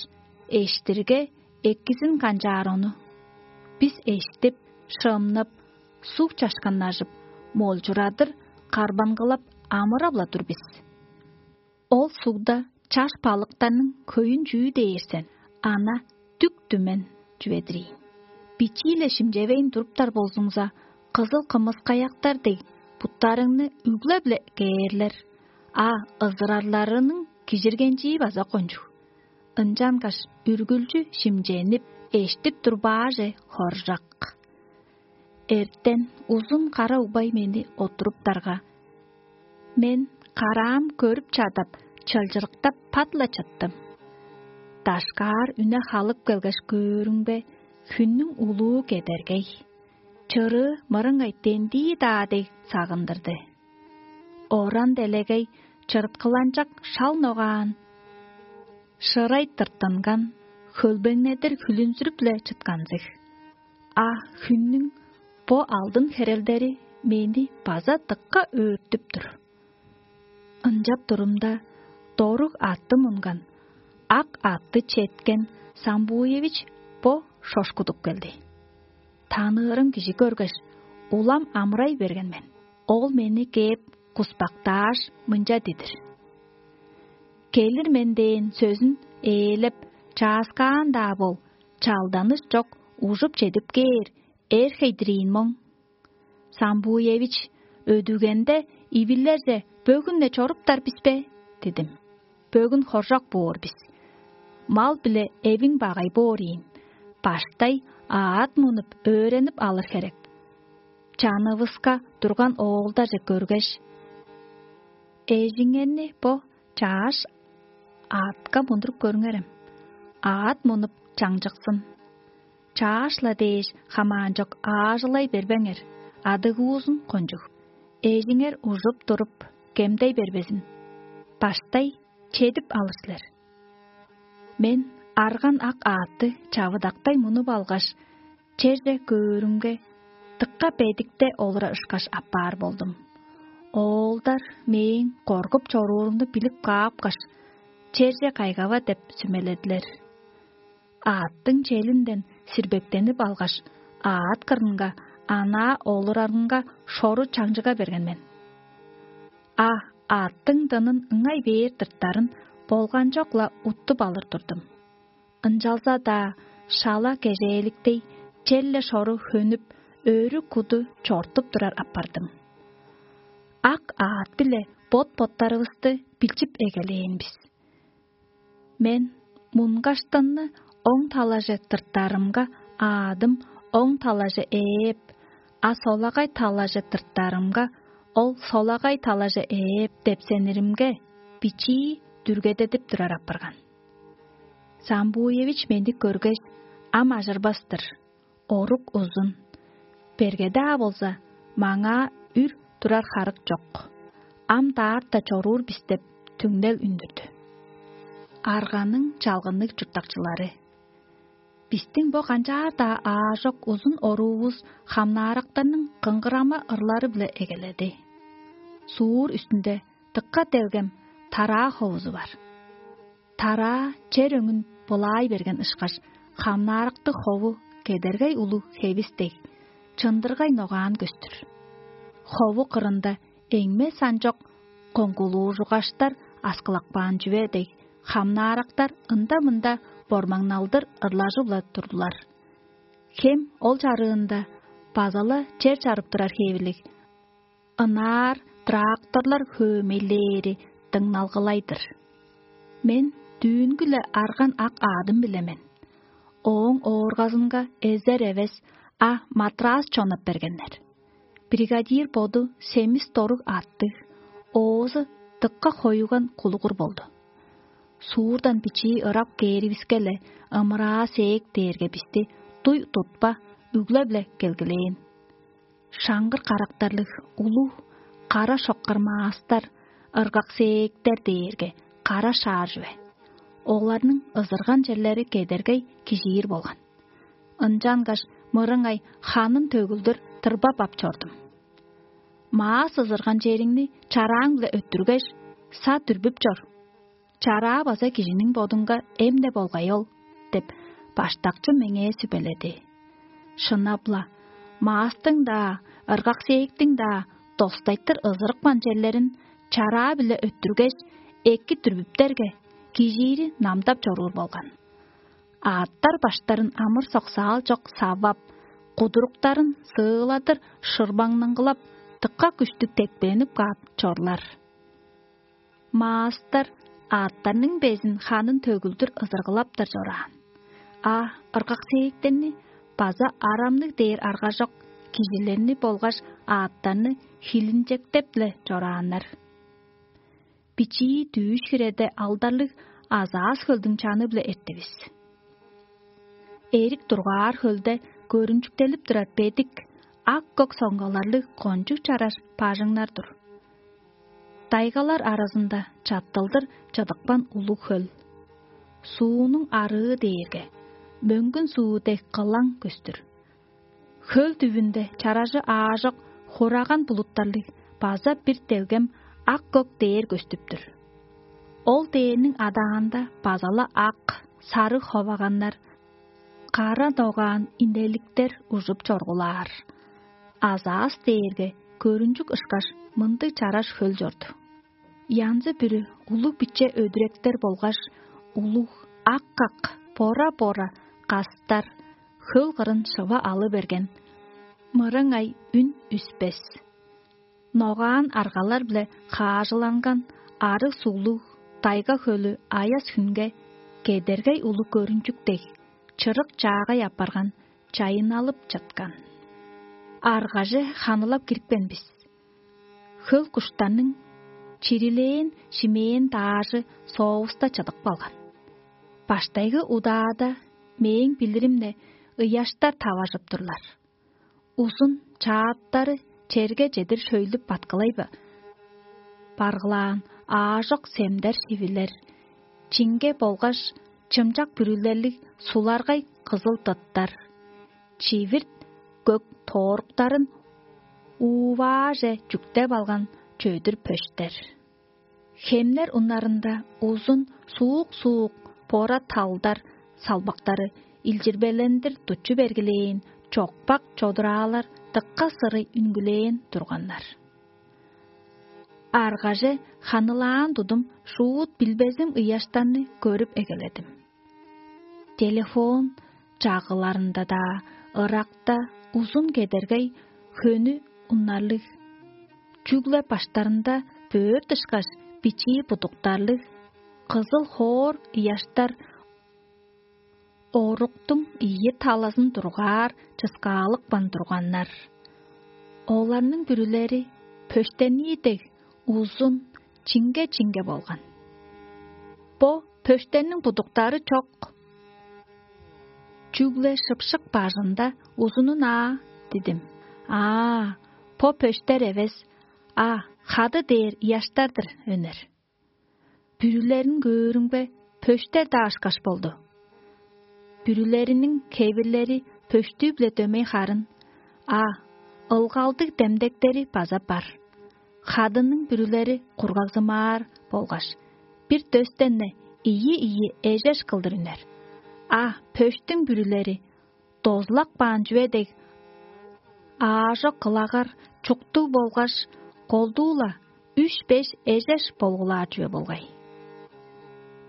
эштирге экизин канчаар ону. Бис эштип, шымнап, суг чашканнажып, молчурадыр карбангылап амырап-ла тур бис. Ол сугда чаш балыктарның хөйүн чүү дээр сен, ана дүк-түмен чүве-дир ийин. Бичии-ле шимчевейн туруптар болзуңза, кызыл кымыскаяктар дег буттарыңны үглеп-ле кээрлер, а ызырарларының кижиргенчии база кончуг. Ынчангаш үргүлчү шимченип, эштип турбааже хоржак. Эртен узун кара угбай мени оттуруптарга, мен караам көрүп чадап, чылчырыктап пат-ла чыттым. Дашкаар үне халып келгеш көөрүңбе, хүннүң улуу кедергей. Чырыы мырыңай дендии-даа дег сагындырды. Оран делегей чырыткыланчак шал ногаан, шырай тыртынган, хөлбеңнедир хүлүнзүрүп-ле чытканзыг. А хүннүң бо алдын херелдери мени база дыкка өөртүп тур. Ынчап турумда, доруг атты мунган, ак атты четкен Самбуевич бо шошкудуп келди. Таныырым кижи көргеш, улам амырай берген мен. Ол мени кээп, куспактааш, мынча дидир: «Келир мен» дээн сөзүн ээлеп, чааскаан-даа бол, чалданыш чок, ужуп чедип кээр, эр хейдириин моң. «Самбуевич, өдүгенде ивилерже бөгүн-не чоруптар бис бе?» — дидим. «Бөгүн хоржок боор бис. Мал-биле эвиң багай боор ийин. Баштай аът мунуп, өөренип алыр херек». Чанывыска турган оолдарже көргеш: «Эжиңерни бо чааш аътка мундуруп көрүңерем, аът мунуп чаңчыксын. Чааш-ла дээш хамаанчок аажылай бербеңер, адыгуузун кончуг. Эжиңер ужуп туруп, кемдей бербезин. Баштай чедип алыр силер. Мен арган ак аътты чавыдактай мунуп алгаш, черже көөрүмге, дыкка бедикте олура ышкаш аппаар болдум. Оолдар мээң коргуп чоруурумну билип каапкаш, черже кайгава деп сүмеледилер. Аъттың челинден сирбектенип алгаш, аът кырынга анаа олурарынга шору чаңчыга берген мен. А аъттың дынын ыңай бээр дырттарын болганчок-ла уттуп алыр турдум. Ынчалза-даа шала кежээликтей, черле шору хөнүп, өрү куду чортуп турар апардым. Ак аът-биле бот-боттарывысты билчип эгелээн бис. Мен мунгаштынны оң талаже тыртарымга, аадым оң талаже ээп, а солагай талаже тыртарымга, ол солагай талаже ээп депсениримге, бичии дүргедедип турар апарган. Самбуевич мени көргеш, ам ажырбас-тыр. Орук узун. Берге-даа болза, маңаа үр турар харык чок. Ам даарта чоруур бис деп түңнел үндүрдү. Арганың чалгынныг чурттакчылары. Бистиң бо канчаар-даа аажок узун оруувус хамнаарактарның кыңгырама ырлары-биле эгеледи. Суур үстүнде дыкка делгем тараа ховузу бар. Тараа чер өңүн былаай берген ышкаш, хамнааракты хову кедергей улуг хевис дег, чындыргай ногаан көстүр. Хову кырында эңме санчок коңгулуужугаштар аскылакпаан чүве дег, хамнаарактар ында-мында бормаңналдыр ырлажып-ла турдулар. Хем ол чарыында база-ла чер чарып турар хевирлиг, ынаар тракторлар хөөмейлээри дыңналгылай-дыр. Мен дүүнгү-ле арган ак аадым-биле мен. Ооң ооргазынга эзер эвес, а матрас чонап бергеннер. Бригадир боду семис доруг аттыг, оозу дыкка хоюган кулугур болду. Суурдан бичии ырап кээривиске-ле ымыраа сээк дээрге бисти дуй тутпа, үглеп-ле келгилээн. Шаңгыр карактарлыг улуг кара шоккар маастар, ыргак сээктер дээрге кара шаар чүве. Оларның ызырган черлери кедергей кижиир болган. Ынчангаш мырыңай ханын төгүлдүр тырбап ап чордум. Маас ызырган чериңни чарааң-биле өттүргеш, са дүрбүп чор. Чараа база кижиниң бодунга эмне болгай ол деп, баштакчы меңээ сүбеледи. Шынап-ла, маастың-даа, ыргак сээктиң-даа достайтыр ызырыпкан черлерин чараа-биле өттүргеш, эки дүрбүптерге, кижиири намдап чоруур болган. Аъттар баштарын амыр-соксаал чок савап, кудуруктарын сыыладыр шырбаңнаңгылап, дыкка күштүг тепкиленип каап чорлар. Маастар аъттарның безин ханын төгүлдүр ызыргылаптар чораан. А ыргак сээктерни база арамныг дээр аргажок кижилерни болгаш аъттарны хилинчектеп-ле чорааннар. Бичии дүүш хиреде алдарлыг азаас хөлдүң чаны-биле эртивис. Эрик дургаар хөлде көрүнчүктелип турар бедик, ак-көк соңгаларлыг кончуг чараш бажыңнар-дур. Дайгалар аразында чаттылдыр чыдыпкан улуг хөл. Суунуң арыы дээрге мөңгүн суу дег кылаң көстүр. Хөл дүвүнде чаражы аажок хураган булуттарлыг база бир делгем ак-көк дээр көстүп-түр. Ол дээрниң адаанда база-ла ак, сарыг ховаганнар, кара догаан инеликтер ужуп чоргулаар. Азаас дээрге көрүнчүк ышкаш мындыг чараш хөл чорду. Янзы-бүрү улуг-биче өдүректер болгаш улуг ак-ак, бора-бора кастар хөл кырын шыва алы берген, мырыңай үн үспес. Ногаан аргалар-биле хаажыланган арыг суглуг тайга хөлү аяс хүнге кедергей улуг көрүнчүк дег, чырык чаагай апарган, чайынналып чыткан. Аргаже ханылап кирипкен бис. Хөл куштарның чирилээн шимээн даажы соовуста чыдып калган. Баштайгы удаада, мээң билиримде, ыяштар таважып турлар. Узун чааттары черге чедир шөйлүп баткылай ба-, баргылаан аажок семдер шивилер, чиңге болгаш чымчак бүрүлерлиг суларгай кызыл тыттар, чивирт көк тооруктарын уувааже чүктеп алган чөдүр пөштер. Хемнер уннарында узун суук-суук бора талдар салбактары илчирбелендир дуччу бергилээн чокпак чодураалар дыкка сырый үнгүлээн турганнар. Аргаже ханылаан тудум шуут билбезим ыяштарны көрүп эгеледим. Телефон чагыларында-даа ыракта узун кедергей хөнү уннарлыг, чүгле баштарында бөөр дышкаш бичии будуктарлыг, кызыл хоор ыяштар оруктуң ийи талазын дургаар чыскаалыкпан турганнар. Оларның бүрүлери пөштении дег узун, чиңге-чиңге болган. Бо пөштенниң будуктары чок. Чүгле шыпшык бажында узунун аа дидим. Аа, бо пөштер эвес, а хады дээр ыяштар-дыр өнер. Бүрүлерин көөрүмге, пөштер-даа ышкаш болду. Бүрүлериниң кевирлери пөштүү-биле дөмей харын, а ылгалдыг демдектери база бар. Хадының бүрүлери кургагзымаар болгаш, бир дөстен-не ийи-ийи эжеш кылдыр үнер. А пөштүң бүрүлери дозулак баан чүве дег, аажок кылагар чуктуг болгаш, колдуу-ла үш-беш эжеш болгулаар чүве болгай.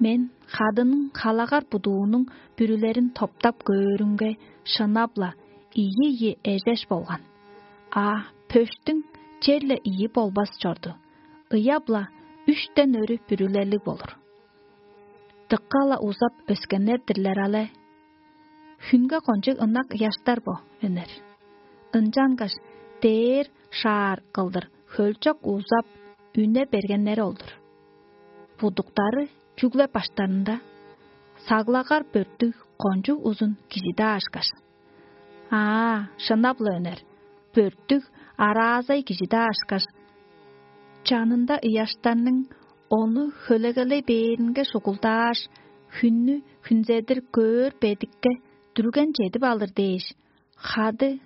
Мен хадының халагар будуунуң бүрүлерин топтап көөрүмге, шынап-ла ийи-ийи эжеш болган. А пөштүң черле ийи болбас чорду, ыяп-ла үштен өрү бүрүлелиг болур. Дыка-ла узап өскеннер-дирлер але. Хүнге кончуг ынак ыяштар бо, өнер. Ынчангаш дээр шаар кылдыр хөлчок узап үне бергеннери ол-дур. Будуктары чүгле баштарында, саглагар бөрттүг кончуг узун кижи-даа ышкаш. Аа, шынап-ла өнер, бөрттүг араазай кижи-даа ышкаш, чанында ыяштарның ону хөлегелей бээринге шугулдааш, хүннү хүнзедир көөр бедикке дүрген чедип алыр дээш, хады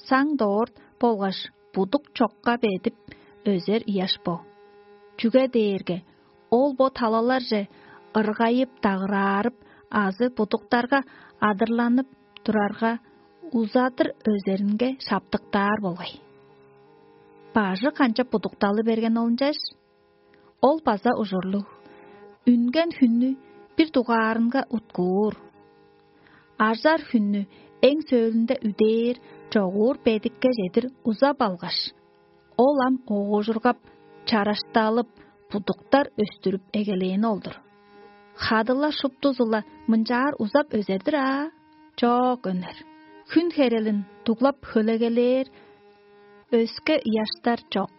саң доорт болгаш будук чокка бедип өзер ыяш бо. Чүге дээрге ол бо талаларже ыргайып-дагыраарып азы будуктарга адырланып турарга, узадыр өзеринге шаптыктаар болгай. Бажы канчап будукталы берген ол ынчаш? Ол база ужурлуг. Үнген хүннү бир дугаарынга уткуур. Ажар хүннү эң сөөлүнде үдээр чогуур бедикке чедир узап алгаш, ол ам оожургап, чарашталып, будуктар өстүрүп эгелээни ол-дур. Хадыла шуптузу-ла мынчаар узап өзер-дир аа? Чок, өнер. Хүн херелин дуглап хөлегелээр өске ыяштар чок.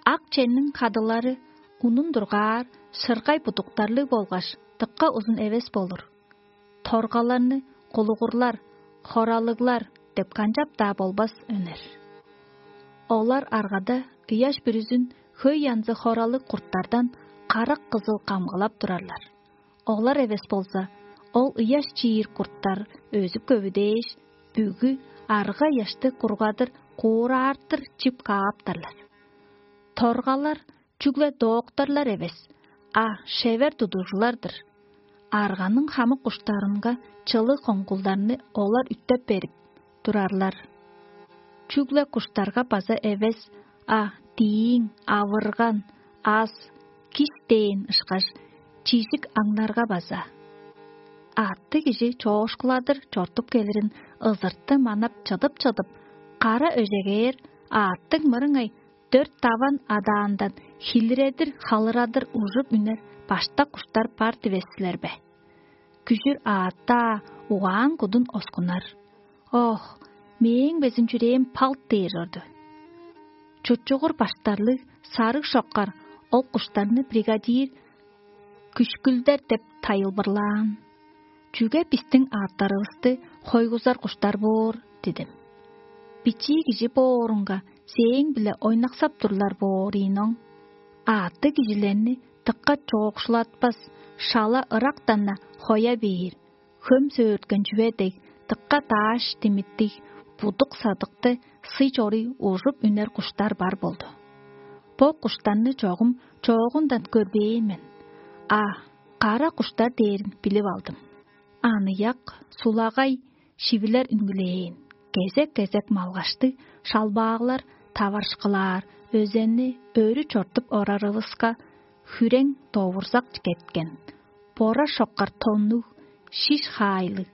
Ак чемниң хадылары унун дургаар, шыргай будуктарлыг болгаш, дыка узун эвес болур. Торгаларны кулугурлар, хоралыглар деп канчап-даа болбас, өнер. Олар аргада ыяш бүрүзүн хөй янзы хоралыг курттардан карак-кызыл камгалап турарлар. Олар эвес болза, ол ыяш чиир курттар өзүп көвүдээш, бүгү арга-ыяшты кургадыр куураартыр чип кааптарлар. Торгалар чүгле доокторлар эвес, а шевер тудуужулар-дыр. Арганың хамык куштарынга чылыг коңгулдарны олар үттеп берип турарлар. Чүгле куштарга база эвес, а дииң, авырган, ас, кис дээн ышкаш, чижик аңнарга база. Аъттыг кижи чоокшуладыр чортуп келирин ызырты манап чыдып-чыдып, кара өжегээр аъттыг мырыңай дөрт даван адаандан хилиредир, халырадыр ужуп үнер баштак куштар бар дивес силер бе? Күжүр аъттаа угаан кудун оскунар. Ох, мээң безин чүрээм палт дээр чорду. Чучугур баштарлыг сарыг шоккар ол куштарны бригадир күшкүлдер деп тайылбырлаан. Чүге бистиң аъттарывысты хойгузар куштар боор?» – дидим. «Бичии кижи боорунга, сээң-биле ойнаксап турлар боор ийин оң. Аъттыг кижилерни дыка чоокшулатпас, шала ырактан-на хоя бээр, хөм сөөрткен чүве дег, дыка дааш димиттиг, будук садыкты сый чоруй ужуп үнер куштар бар болду. Бо куштарны чогум чоогундан көрбээн мен. А кара куштар дээрин билип алдым. Аныяк, сулагай, шивилер үнгүлээн, кезек-кезек малгаштыг шалбааглар таварышкылаар, өзенни өрү чортуп орарывыска, хүрең довурзак кеткен, бора шоккар тоннуг, шиш хаайлыг,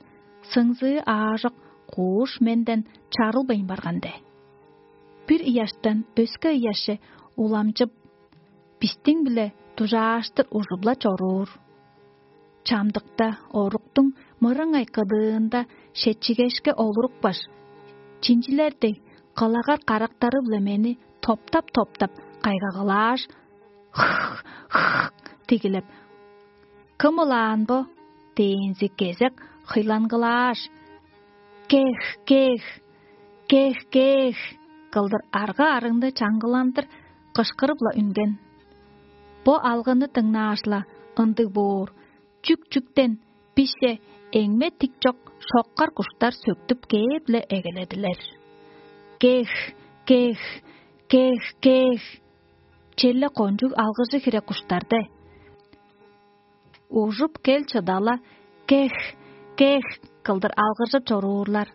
сыңзыы аажок кууш менден чарылбайн барган де. Бир ыяштан өске ыяшче уламчып, бистиң-биле дужааштыр ужуп-ла чоруур. Чамдыкта оруктуң мырыңай кыдыында шетчигешке олурупкаш, чинчилер дег, кылагар карактары-биле мени топтап-топтап кайгагылааш, хх-хх дигилеп: «Кым ылаан бо?» – дээнзи кезек хыйлангылааш: «Кех, кех, кех, кех!» – кылдыр арга-арыңны чаңгыландыр кышкырып-ла үнген. Бо алгыны дыңнааш-ла ындыг боор, чүк-чүктен бисче эңме тик чок шоккар куштар сөктүп кээп-ле эгеледилер. «Кех, кех, кех, кех!» Черле кончуг алгыжы хире куштар де. Ужуп кел чыдала: «Кех, кех!» – кылдыр алгыржып чоруурлар.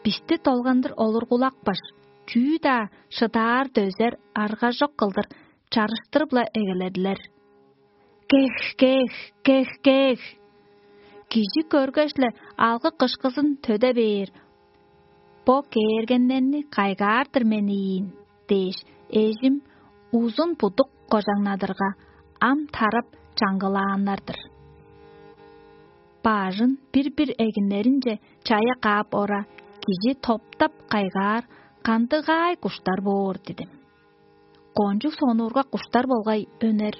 Бисти долгандыр олургулапкаш, чүү-даа шыдаар-дөзер аргажок кылдыр чарыштырып-ла эгеледилер. «Кех, кех, кех, кех!» Кижи көргеш-ле, алгы-кышкызын төде бээр: «Бо кээргеннерни кайгаар-дыр мен ийин» – дээш, эжим узун будук кожаңнадырга, ам тарап чаңгылааннар-дыр. Бажын бир-бир эгиннеринче чая каап ора, кижи топтап кайгаар кандыгаай куштар боор дидим. Кончуг сонуургак куштар болгай өнер.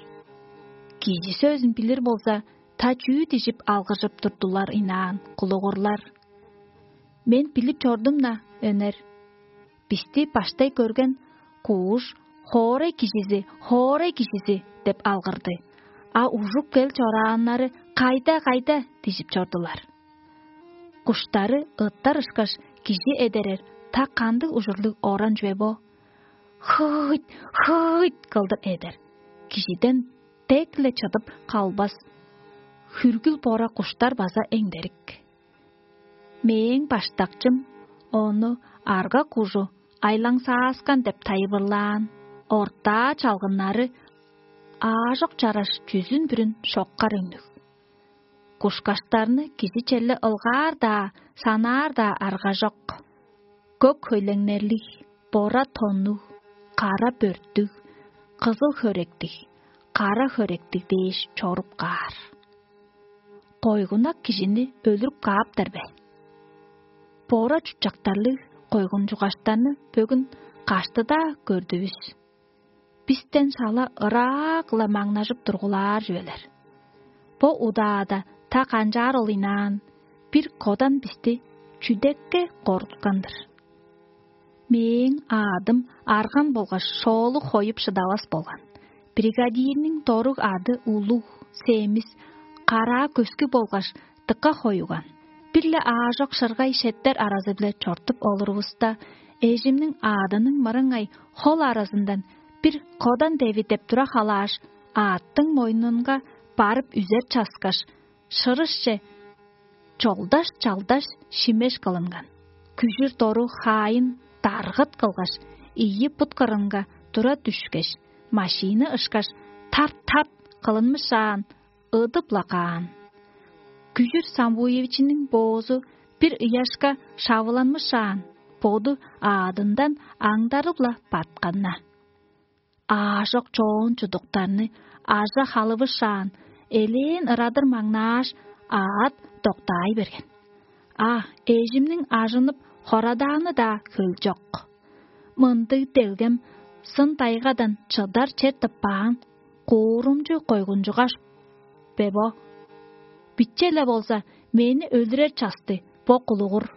Кижи сөзүн билир болза, та чүү дижип алгыжып турдулар ынаан кулугурлар. Мен билип чордум-на, өнер. Бисти баштай көрген кууш: «Хоорай кижизи, хоорай кижизи» – деп алгырды. А ужуп кел чорааннары: «Кайда, кайда?» – дижип чордулар. Куштары ыттар ышкаш, кижи эдерер та кандыг ужурлуг оран чүве бо? «Хыйт, хыйт!» – кылдыр эдер. Кижиден дег-ле чыдып калбас. Хүргүл бора куштар база эңдерик. Мээң баштакчым ону арга кужу айлаңсааскан деп тайылбырлаан. Ортаа чалгыннары аажок чараш чүзүн-бүрүн шоккар үннүг. Кушкаштарны кижи черле ылгаар-даа, санаар-даа аргажок. Көк хөйлеңнерлиг, бора тоннуг, кара бөрттүг, кызыл хөректиг, кара хөректиг дээш чоруп каар. Койгунак кижини өлүрүп кааптар бе? Бора чутчактарлыг койгунчугаштарны бөгүн каштыда көрдүвүс. Бистен шала ыраак-ла маңнажып тургулаар чүвелер. Бо удаада та канчаар ол ынаан, бир кодан бисти чүдекке коргуткан-дыр. Мээң аадым арган болгаш шоолу хоюп шыдавас болган. Бригадирниң доруг ады улуг, семис, караа көскү болгаш дыка хоюган. Бир-ле аажок шыргай шеттер аразы-биле чортуп олурувуста, эжимниң аадының мырыңай хол аразындан бир кодан деви деп тура халааш, аъттың мойнунга барып үзер часкаш, шырышче чолдаш-чалдаш шимеш кылынган. Күжүр дору хаайын даргыт кылгаш, ийи бут кырынга тура дүшкеш, машина ышкаш, тарт-тарт кылынмышаан, ыдып-ла каан. Күжүр Самбуевичиниң боозу бир ыяшка шавыланмышаан, боду аадындан аңдарып-ла батканна. Аажок чоон чудуктарны ажа халывышаан, элээн ырадыр маңнааш, аът доктаай берген. А эжимниң ажынып хорадааны-даа хөлчок. Мындыг делгем сын-дайгадан чыдар чер тыппаан, куурумчу койгунчугаш бе бо? Биче-ле болза, Мени өлүрер часты бо кулугур.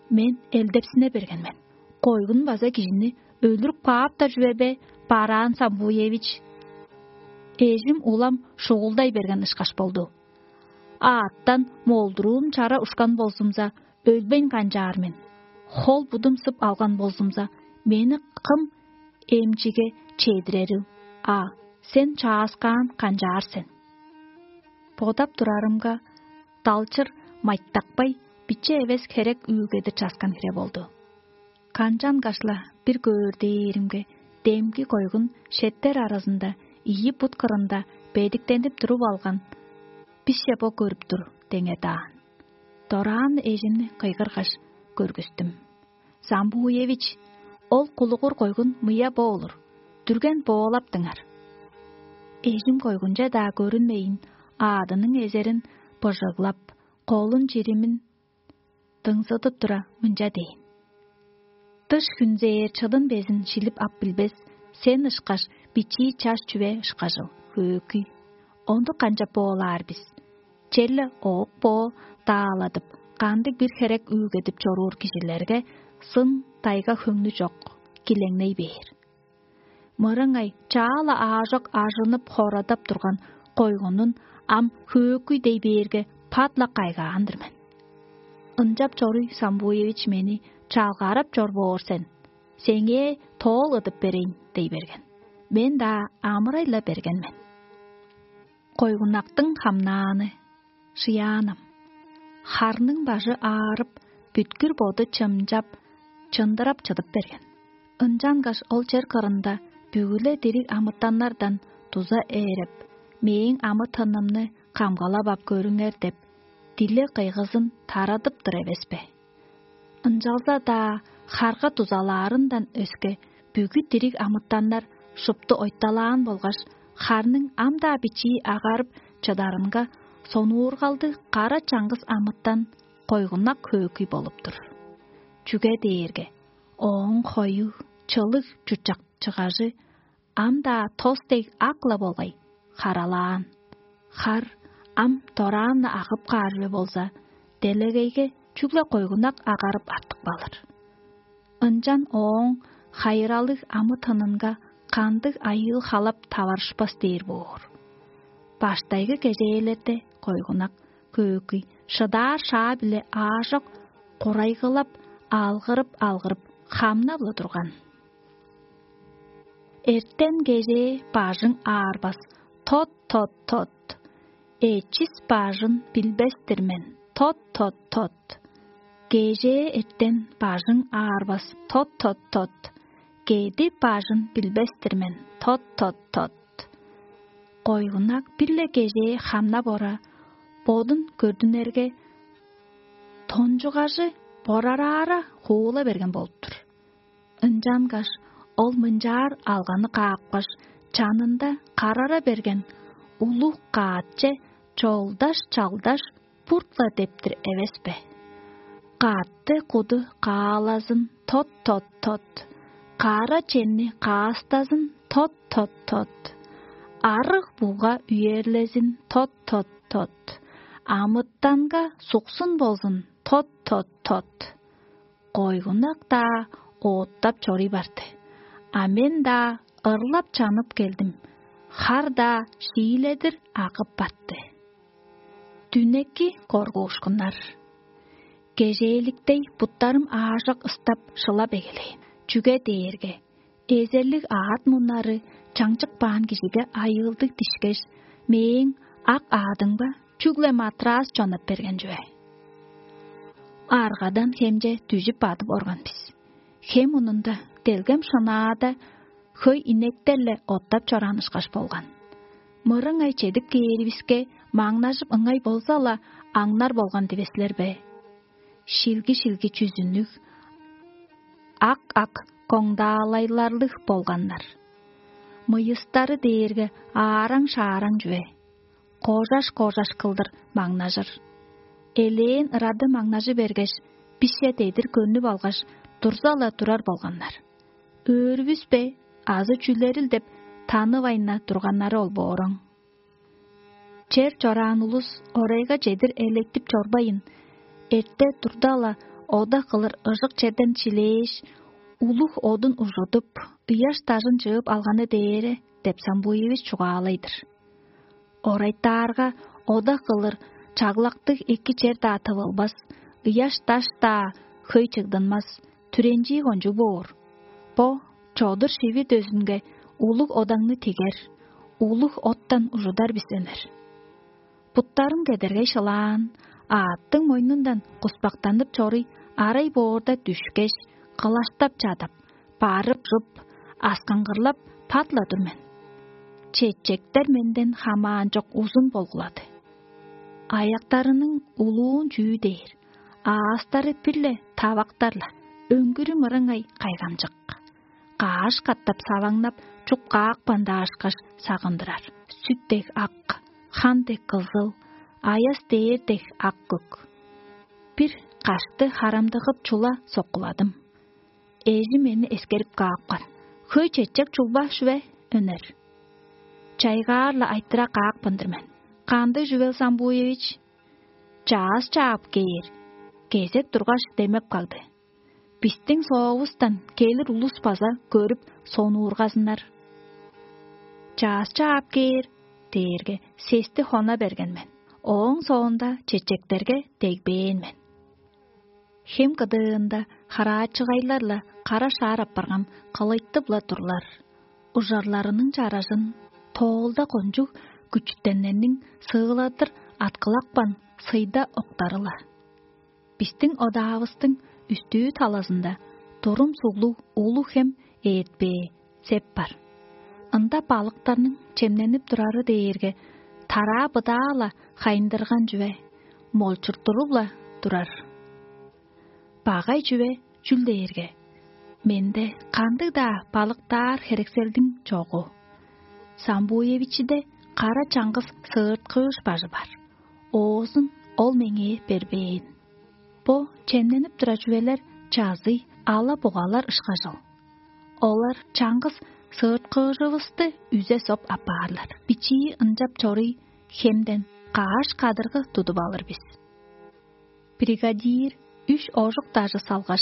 Мен элдепсине берген мен. Койгун база кижини өлүрүп кааптар чүве бе, Бараан Самбуевич? Эжим улам шугулдай берген ышкаш болду. Аъттан молдуруум чара ушкан болзумза, өлбейн канчаар мен. Хол-будум сып алган болзумза, мени кым эмчиге чедирерил? А сен чааскаан канчаар сен? Бодап турарымга, далчыр майтакпай, биче эвес херек үүлгедир часкан хире болду. Канчангаш-ла бир көөр дээримге, демги койгун шеттер аразында ийи бут кырында бедиктенип туруп алган бисче бо көрүп тур деңе даан. Дораан эжимни кыйгыргаш көргүстүм: «Самбуевич, ол кулугур койгун мыя бо олур, дүрген боолаптыңар». Эжим койгунче-даа көрүнмейн, аадының эзерин быжыглап, колун чиримин дыңзыдып тура, мынча дээн: «Дыш хүнзээр чыдын безин шилип ап билбес, сен ышкаш бичии чаш чүве ышкажыл, хөөкүй. Ондук канчап боолаар бис? Черле оок-боо дааладып, кандыг-бир херек үүлгедип чоруур кижилерге сын тайга-хөңнү чок, килеңней бээр». Мырыңай чаа-ла аажок ажынып-хорадап турган койгунун ам хөөкүй дей бээрге, пат-ла кайгаан-дыр мен. «Ынчап чоруй, Самбуевич, мени чалгаарап чор боор сен. Сеңээ тоол ыдып берейн» — дей берген. Мен-даа амырай-ла берген мен. Койгунактың хамнааны. Шыяанам. Харның бажы аарып, бүткүр боду чымчап, чындырап чыдып берген. Ынчангаш ол чер кырында бүгү-ле дириг амытаннардан дуза ээреп, мээң амы-тынымны камгалап ап көрүңер деп, дилег-кыйгызын тарадып-тыр эвес бе? Ынчалза-даа харга дузалаарындан өске, бүгү дириг амытаннар шупту ойталаан болгаш, харның ам-даа бичии агарып чыдарынга, сонуургалдыг кара чаңгыс амытан койгунак хөөкүй болуп тур. Чүге дээрге ооң хою, чылыг чуртчакчыгажы ам-даа тос дег ак-ла болгай, харалаан. Хар ам дораан-на агып каар чүве болза, делегейге чүгле койгунак агарып артып калыр. Ынчан ооң хайыралыг амы-тынынга кандыг айыыл-халап таварышпас дээр боор. Баштайгы кежээлерде койгунак хөөкүй шыдаар шаа-биле аажок курайгылап, алгырып-алгырып, хамнап-ла турган. Эртен-кежээ бажың аарбас, тот, тот, тот. Эчис бажын билбес-тир мен, тот, тот, тот. Кежээ эртен бажың аарбас, тот, тот, тот. Кеди бажын билбес-тир мен, тот, тот, тот. Койгунак бир-ле кежээ хамнап ора, бодун көрдүнерге, тончугажы борараара хуула берген болуп-тур. Ынчангаш ол мынчаар алганы каапкаш, чанында карара берген улуг каатче чолдаш-чалдаш бурт-ла дептир эвес бе? Каатты куду каалазын, тот, тот, тот. Кара чемни каастазын, тот, тот, тот. Арыг буга үерлезин, тот, тот, тот. Амытанга суксун болзун, тот, тот, тот. Койгунак-даа ооттап чоруй барды, а мен-даа ырлап чанып келдим, хар-даа шииледир агып батты. Дүнеки коргуушкуннар. Кежээликтей буттарым аажок ыстап, шылап эгелээн, чүге дээрге эзерлиг аът муннары чаңчык баан кижиге айыылдыг дишкеш, мээң ак аадымга чүгле матрас чонап берген чүве. Аргадан хемче дүжүп бадып орган бис. Хем мунунда делгем шынаада хөй инектер-ле оттап чораан ышкаш болган. Мырыңай чедип кээривиске, маңнажып ыңай болза-ла, аңнар болган дивес силер бе? Шилги-шилги чүзүннүг, ак-ак коңдаалайларлыг болганнар. Мыйыстары дээрге аараң-шаараң чүве, кожаш-кожаш кылдыр маңнажыр. Элээн ырады маңнажы бергеш, бисче дедир көнүп алгаш, дурза-ла турар болганнар. Өөрүвүс бе азы чүлерил деп танывайн-на турганнары ол бооруң. Чер чораан улус орайга чедир электип чорбайн, эрте турда-ла ода кылыр ыжык черден чилээш, улуг одун ужудуп, ыяш дажын чыып алганы дээре деп Самбуевич чугаалай-дыр. Орайтаарга, ода кылыр чаглактыг эки чер-даа тывылбас, ыяш даш-даа хөй чыгдынмас, түренчии кончуг боор. Бо чодур шиви дөзүнге улуг одаңны тигер, улуг оттан ужудар бис ынер. Буттарым кедергей шылаан, аъттың мойнундан куспактанып чоруй арай боорда дүшкеш, кылаштап чадып, барып-чуп, аскаңгырлап пат-ла тур мен. Четчектер менден хамаан чок узун болгулады. Аяктарының улуун чүү дээр, аастары бир-ле тавактар-ла, өңгүрү мырыңай кайгамчык. Кааш катап саваңнап, чуп каапкан даашкаш сагындырар. Сүт дег ак, хан дег кызыл, аяс дээр дег ак көк. Бир кашты харамдыгып чула соккуладым. Эжи мени эскерип каапкан: «Хөй четчек чулба шүве өнер?» Чайгаар-ла айтыра каапкан-дыр мен: «Кандыг чүвел, Самбуевич?» «Чаъс чаап кээр» — кезек тургаш, демеп кагды. «Бистиң соовустан келир улус база көрүп, сонуургазыннар». «Чаъс чаап кээр» — дээрге, сести хона берген мен. Ооң соонда чечектерге дегбээн мен. Хем кыдыында хараачыгайлар-ла кара шаар апарган кылыйтып-ла турлар. Ужарларының чаражын тоолда кончуг күчүтеннерниң сыыладыр аткылапкан сыйда октары-ла. Бистиң одаавыстың үстүү талазында турум суглуг улуг хем ээртпээ сеп бар. Ында балыктарның чемненип турары дээрге, тараа быдаа-ла хайындырган чүве, молчурттуруп-ла турар. Багай чүве чүл дээрге, менде кандыг-даа балыктаар херекселдиң чогу. Самбуевичиде кара чаңгыс сыырткыыш бажы бар. Оозун ол меңээ бербээн. Бо чемненип турар чүвелер чазый ала-бугалар ышкажыл. Олар чаңгыс сыырткыыжывысты үзе соп апаарлар. Бичии ынчап чоруй хемден кааш кадыргы тудуп алыр бис. Бригадир үш ожук дажы салгаш,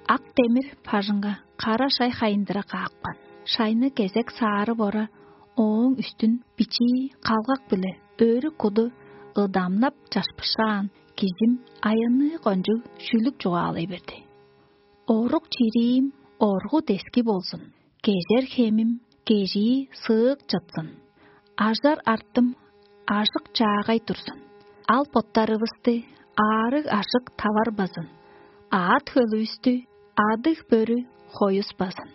ак демир бажыңга кара шай хайындыра каапкан. Шайны кезек саарып ора, ооң үстүн бичии калгак-биле өрү куду ыдамнап чашпышаан кижим аянныы кончуг шүлүк чугаалай берди: «Орук чириим оргу дески болзун, кежер хемим кежии сыык чытсын, ажар артым ажык чаагай турзун, ал боттарывысты аарыг-ажык таварбазын, аът-хөлүвүстү адыг-бөрү хоюспазын.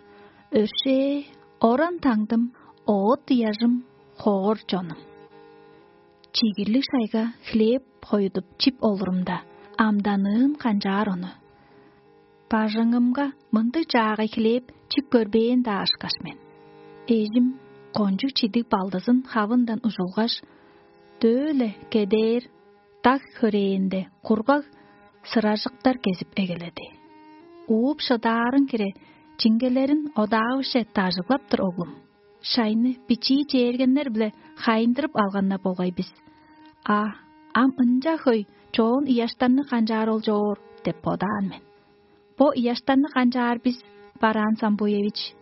Өршээ, оран-таңдым, оът-ыяжым, хоор чонум». Чигирлиг шайга хлеб хоюдуп чип олурумда, амданыын канчаар ону. Бажыңымга мындыг чаагай хлеб чип көрбээн-даа ышкаш мен. Эжим кончуг чидиг балдызын хавындан ужулгаш, дөө-ле кедээр даг хөрээнде кургаг сыражыктар кезип эгеледи. Ууп шыдаарың хире чиңгелерин одаавыже дажыглап-тыр, оглум. Шайны бичии чээргеннер-биле хайындырып алганнар болгай бис. А ам ынча хөй чоон ыяштарны канчаар ол чоор деп бодаан мен. Бо ыяштарны канчаар бис, Бараан Самбуевич?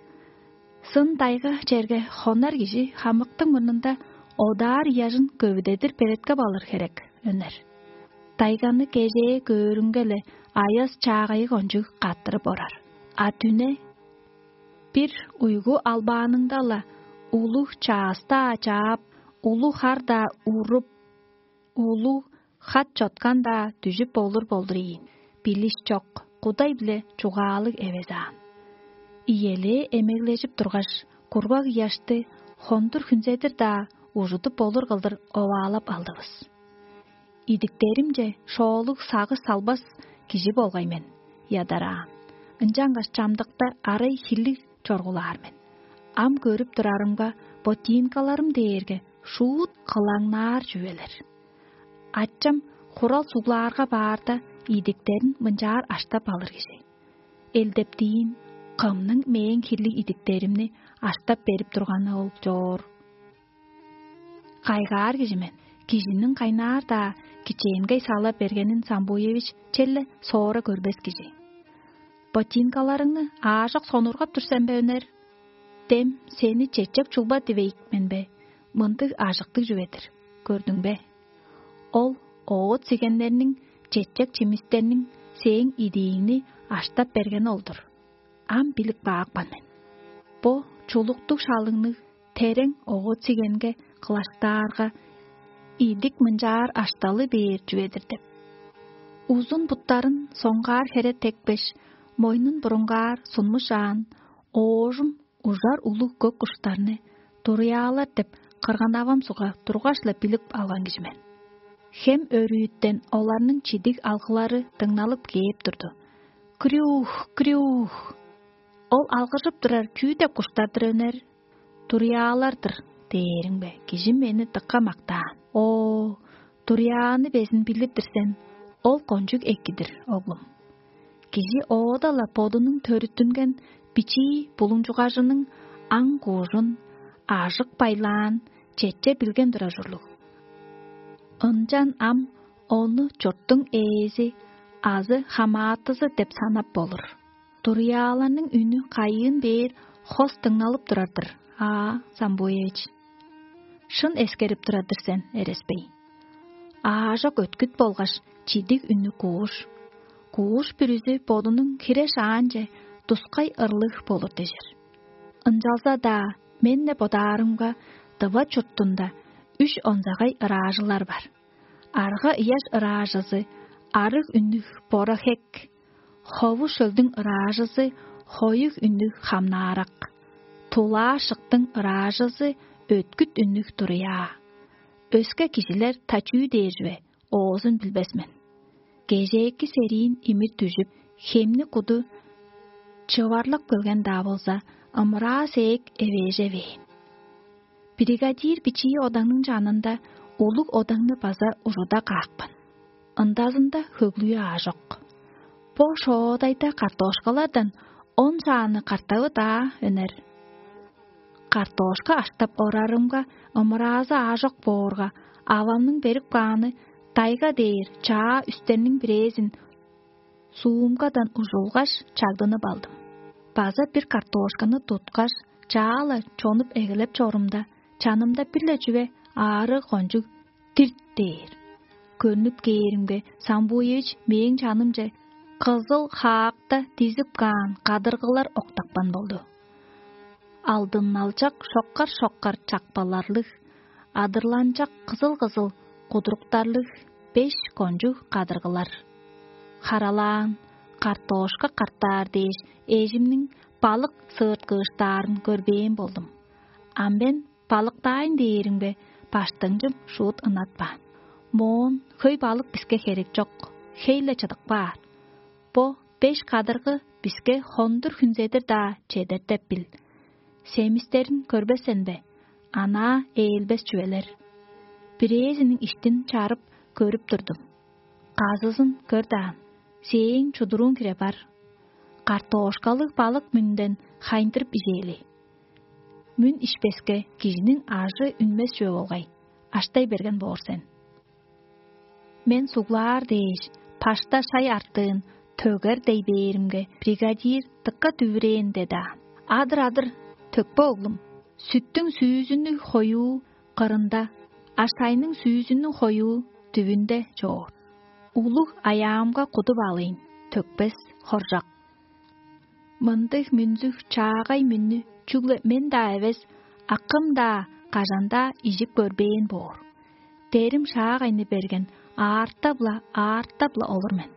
Сын дайга черге хонар кижи хамыктың мурнунда одаар ыяжын көвүдедир белеткеп алыр херек, өнер. Дайганы кежээ көөрүнге-ле аяс чаагайы кончуг каттырып орар. А дүне бир уйгу албааныңда-ла улуг чаастаа чаап, улуг хар-даа уруп, улуг хат чоткан-даа дүжүп болур болдур ийин. Билиш чок, кудай-биле чугаалыг эвес аан. Иелээ эмеглежип тургаш, кургаг ыяшты хондур хүнзедир-даа ужудуп болур кылдыр оваалап алдывыс. Идиктеримче шоолуг сагыш салбас кижи болгай мен, ядараан. Ынчангаш чамдыкта арай хирлиг чоргулаар мен. Ам көрүп турарымга, ботинкаларым дээрге шуут кылаңнаар чүвелер. Ачам хурал суглаарга баарда, идиктерин мынчаар аштап алыр кижи. Элдептиин, кымның мээң хирлиг идиктеримни аштап берип турганы ол чоор? Кайгаар кижи мен. Кижиниң кайнаар-даа кичээнгей сала бергенин Самбуевич черле соора көрбес кижи. «Ботинкаларыңны аажок сонургап тур сен бе, Өнер? Дем сени чечек чулба дивейик мен бе? Мындыг ажыктыг чүве-дир, көрдүң бе? Ол оът сигеннерниң, чечек чимистерниң сээң идииңни аштап бергени ол-дур. Ам билип каапкан мен. Бо чулуктуг шалыңныг терең оът сигенге кылаштаарга, идик мынчаар ашталы бээр чүве-дир» деп. Узун буттарын соңгаар хере текпеш, мойнун бурунгаар сунмушаан, оожум ужар улуг көк куштарны, туруяалар деп, кырган-авам сугга тургаш-ла билип алган кижи мен. Хем өрүүттен оларның чидиг алгылары дыңналып кээп турду. «Крюх, крюх! Ол алгыржып турар чүү деп куштар-дыр, Өнер?» «Туруяалар-дыр» дээриң бе, кижи мени дыка мактаан. Оо, туруяаны безин билир-дир сен, ол кончуг эки-дир, оглум. Кижи оода-ла бодунуң төрүттүнген бичии булуңчугажының аң-куужун, ажык байлаан четче билген турар ужурлуг. Ынчан ам ону чурттуң ээзи азы хамаатызы деп санап болур. Туруяаларның үнү кайыын бээр хос дыңналып турар-дыр, аа, Самбуевич. Шын эскерип турар-дыр сен, Эресбей. Аажок өткүт болгаш чидиг үннүг кууш. Кууш бүрүзү бодунуң хире шаанче тускай ырлыг болур дижир. Ынчалза-даа мен-не бодаарымга, дыва чуртунда үш онзагай ыраажылар бар. Арга ыяш ыраажызы, арыг үннүг бора хек, хову шөлдүң ыраажызы, хоюг үннүг хамнаарак, тулаа шыктың ыраажызы, өткүт үннүг туруяа. Өске кижилер та чүү дээр чүве, оозун билбес мен. Кежээки сериин имир дүжүп, хемни куду чыварлап келген-даа болза, ымыраа сээк эвээжевээн. Бригадир бичии одаңның чанында улуг одаңны база ужуда каапкан. Ындазында хөглүү аажок. Бо шоодайда картошкалардан он шааны картавы-даа өнер. Картошка аштап орарымга, ымыраазы аажок боорга, авамның берип кааны дайга дээр чаа үстерниң бирээзин суумгадан ужулгаш, чагдынып алдым. База бир картошканы туткаш, чаа-ла чонуп эгелеп чорумда, чанымда бир-ле чүве аарыг кончуг дирт дээр. Көрнүп кээримге, Самбуевич мээң чанымче кызыл хаакта дизип каан кадыргылар октапкан болду. Алдынналчак шоккар-шоккар чакпаларлыг, адырланчак кызыл-кызыл кудуруктарлыг беш кончуг кадыргылар. Харалаан, картошка картаар дээш, эжимниң балык сыырткыыштаарын көрбээн болдум. Ам мен балыктаайн дээримге, баштыңчым шуут ынатпаан. Моон хөй балык биске херек чок, хей-ле чыдып каар. Бо беш кадыргы биске хондур хүнзедир-даа чедер деп бил. Семистерин көрбес сен бе? Анаа ээлбес чүвелер. Бирээзиниң иштин чарып көрүп турдум. Казызын көр даан, сээң чудурууң хире бар. Картошкалыг балык мүнден хайындырып ижээли. Мүн ишпеске, кижиниң ажы үнмес чүве болгай, аштай берген боор сен. Мен суглаар дээш, пашта шай артыын төгер дей бээримге, бригадир дыка дүвүрээн деди аан. Адыр-адыр, төкпе, оглум. Сүттүң сүүзүннүг хоюу кырында, а шайның сүүзүннүг хоюу дүвүнде чоор. Улуг аяамга кудуп алыйн, төкпес хоржак. Мындыг мүнзүг чаагай мүннү чүгле мен-даа эвес, акым-даа кажан-даа ижип көрбээн боор. Дерим шаагайны берген, аартап-ла, аартап-ла олур мен.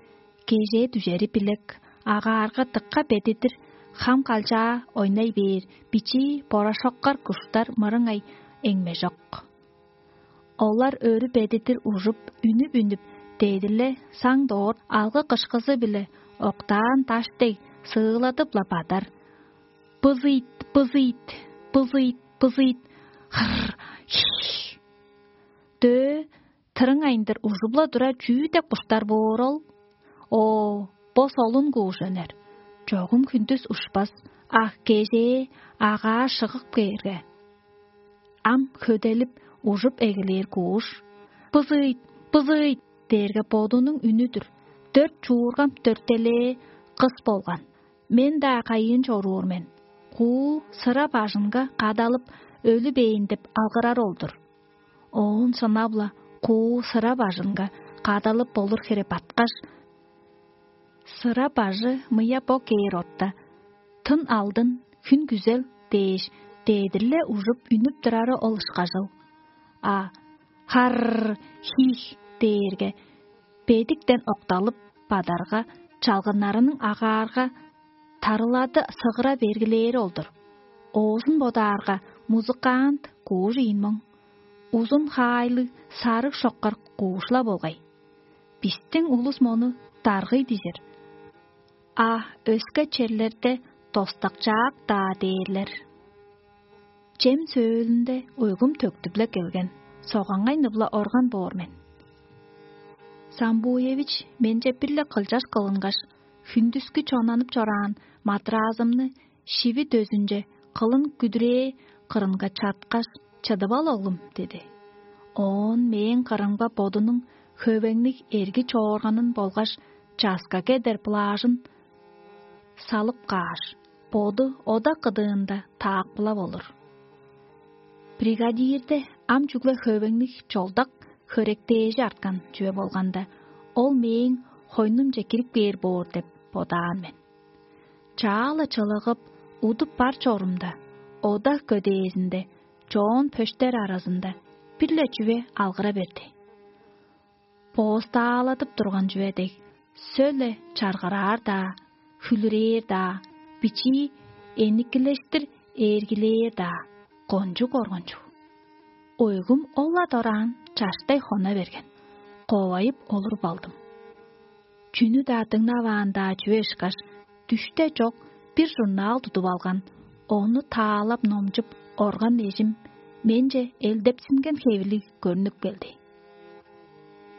Кежээ дүжери билек, агаарга дыкка бедидир, хам калчаа ойнай бээр бичии борошоккар куштар мырыңай эңмежок. Олар өрү бедидир ужуп, үнүп-үнүп, дедир-ле саң доор алгы кышкызы-биле октаан даш дег сыыладып-ла бадар. Бызыйт, бызыйт, бызыйт, бызыйт. Хыр, хиш. Дөө, тырың айындыр ужуп-ла тура чүү деп куштар боор ол? О, бо солун кууш өнер. Чогум хүндүс ушпас, а кежээ агаа шыгып кээрге. Ам хөделип, ужуп эгелээр кууш. «Бызыйт, бызыйт!» – дээрге бодунуң үнү-дүр. Дөрт чуургам дөртелээ кыс болган. Мен-даа кайыын чоруур мен. Куу сыра бажынга кадалып, өлү бээн деп алгырар ол-дур. Оон шынап-ла куу сыра бажынга кадалып болур хире баткаш, сыра бажы мыя бо кээр орта, тын алдын, хүн күзел дээш, дедир-ле ужуп үнүп турары ол ышкажыл. А «харр, хих» дээрге, бедиктен окталып, бадарга, чалгыннарының агаарга, тарылады сыгыра бергилээри ол-дур. Оозун бодаарга, музыкант куужу ийин моң. Узун хаайлыг, сарыг шоккар куушла болгай. Бистиң улус мону даргый дижир. А өске черлерде достакчаак-даа дээрлер. Чем сөөлүнде уйгум төктүп-ле келген, согаңай ныпла орган боор мен. Самбуевич менче бир-ле кылчаш кылынгаш, хүндүскү чонанып чораан матразымны шиви дөзүнче кылын күдүрээ кырынга чаткаш: «Чыдып ал, оглум» – диди. Оон мээң кырымга бодунуң хөвеңниг эрги чоорганын болгаш часка кедер плажын салып кааш, боду ода кыдыында таакпылап олур. Бригадирде ам чүгле хөвеңниг чолдак хөректээжи арткан чүве болганда, ол мээң хойнумче кирип кээр боор деп бодаан мен. Чаа-ла чылыгып, удуп бар чорумда, ода көдээзинде, чоон пөштер аразында бир-ле чүве алгыра берди. Боостааладып турган чүве дег, сөөле чаргыраар-даа, хүлүрээр-даа, бичии эникилештир ээргилээр-даа, кончуг коргунчуг. Уйгум ол-ла дораан чаштай хона берген. Ковайып олуруп алдым. Чүнү-даа дыңнаваан-даа чүве ышкаш, дүште чок бир журнал тудуп алган, ону таалап номчуп орган эжим менче элдепсинген хевирлиг көрнүп келди.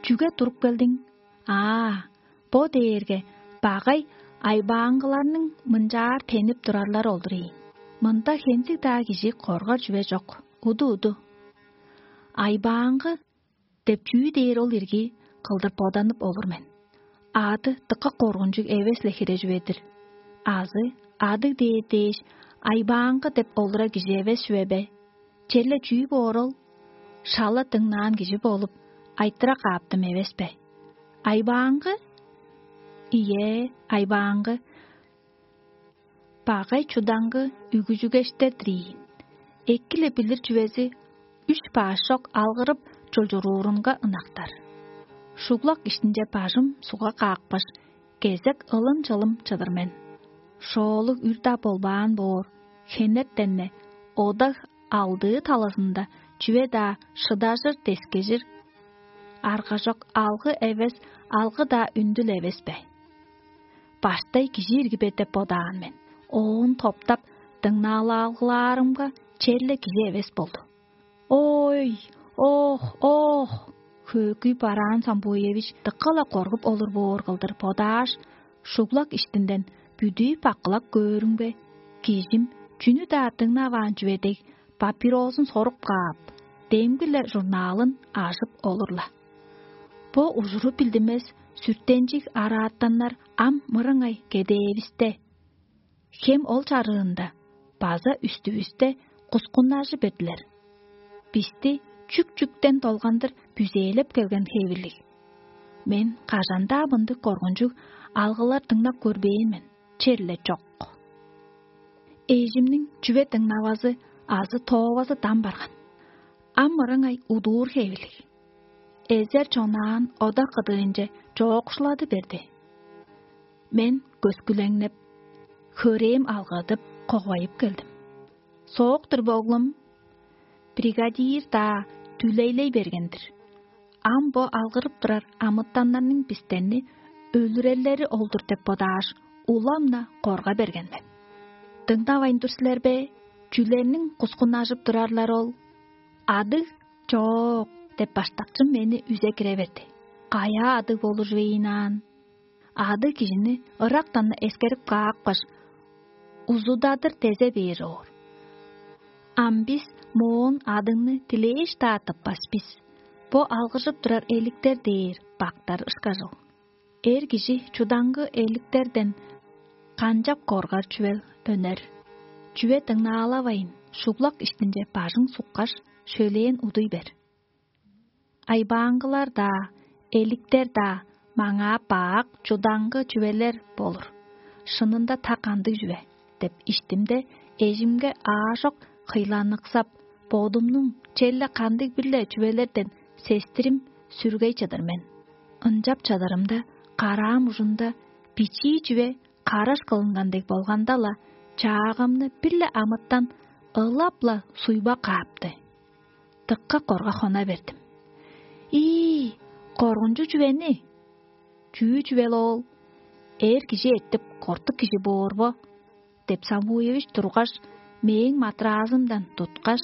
«Чүге туруп келдиң?» «Аа, бо дээрге багай айбааңгыларның мынчаар тенип турарлар олдур ийин. Мында хензиг-даа кижи коргар чүве чок, уду-уду. Айбааңгы деп чүү дээр ол ирги?» – кылдыр боданып олур мен. Ады дыка коргунчуг эвес-ле хире чүве-дир. Азы адыг дээр дээш, айбааңгы деп олура кижи эвес чүве бе? Черле чүү боор ол? Шала дыңнаан кижи болуп, айтыра кааптым эвес бе? Айбааңгы? Ийе, айбааңгы. Багай чудаңгы үгүжүгештер-дир ийин. Эки-ле билир чүвези үш баш чок алгырып чулчуруурунга ынактар. Шуглак иштинче бажым сугга каапкаш, кезек ылым-чылым чыдыр мен. Шоолуг үр-даа болбаан боор, хенертен-не ода алдыы талазында чүве-даа шыдажыр-дескежир аргажок алгы эвес, алгы-даа үндүл эвес бе? Баштай кижи ирги бе деп бодаан мен. Оон топтап дыңнаалаалгылаарымга, черле кижи эвес болду. «Ой, ох, ох!» Хөөгүй бараан Самбуевич дыка-ла коргуп олур боор кылдыр бодааш, шуглак иштинден бүдүү баккылап көөрүмге, кижим чүнү-даа дыңнаваан чүве дег, папирозун соруп каап, демги-ле журналын ажып олур-ла. Бо ужуру билдинмес, сүртенчиг араатаннар ам мырыңай кедээвисте, хем ол чарыында база үстүвүсте кускуннажы бердилер. Бисти чүк-чүктен долгандыр бүзээлеп келген хевирлиг. Мен кажан-даа мындыг коргунчуг алгылар дыңнап көрбээн мен, черле чок. Эжимниң чүве дыңнавазы азы тоовазы дам барган. Ам мырыңай удуур хевирлиг. Эзер чонаан ода кыдыынче чоокшулады берди. Мен көскүлеңнеп, хөрээм алгадып, ковайып келдим. «Соок-тур бе, оглум?» Бригадир-даа дүлейлей берген-дир. Ам бо алгырып турар амытаннарның бистерни өлүрерлери ол-дур деп бодааш, улам-на корга берген мен. «Дыңнавайн тур силер бе? Чүлерниң кускуннажып турарлар ол?» «Адыг чок» – деп баштакчым мени үзе кире берди. «Каяа адыг болур чүвейн аан?» Адыг кижини ырактан-на эскерип каапкаш, узудадыр дезе бээр чоор. Ам бис моон адыгны дилээш-даа тыппас бис. Бо алгыржып турар эликтер дээр бактар ышкажыл. Эр кижи чудаңгы эликтерден канчап коргар чүвел өнер? Чүве дыңнаалавайн, шуглак иштинче бажың суккаш, шөлээн удуй бер. Айбааңгылар-даа, эликтер-даа маңаа бак чудаңгы чүвелер болур. Шынында та кандыг чүве деп иштимде, эжимге аажок хыйланыксап, бодумнуң челе кандыг-бир-ле чүвелерден сестирим сүргей чыдыр мен. Ынчап чадырымда, караам ужунда бичии чүве караш кылынган дег болганда-ла, чаагымны бир-ле амытан ылап-ла суйба каапты. Дыкка корга хона бердим. «Ии, коргунчуг чүвени! Чүү чүвел оол? Эр кижи эртип, кортук кижи боор бо?» — деп Самуевич тургаш, мээң матыраазымдан туткаш,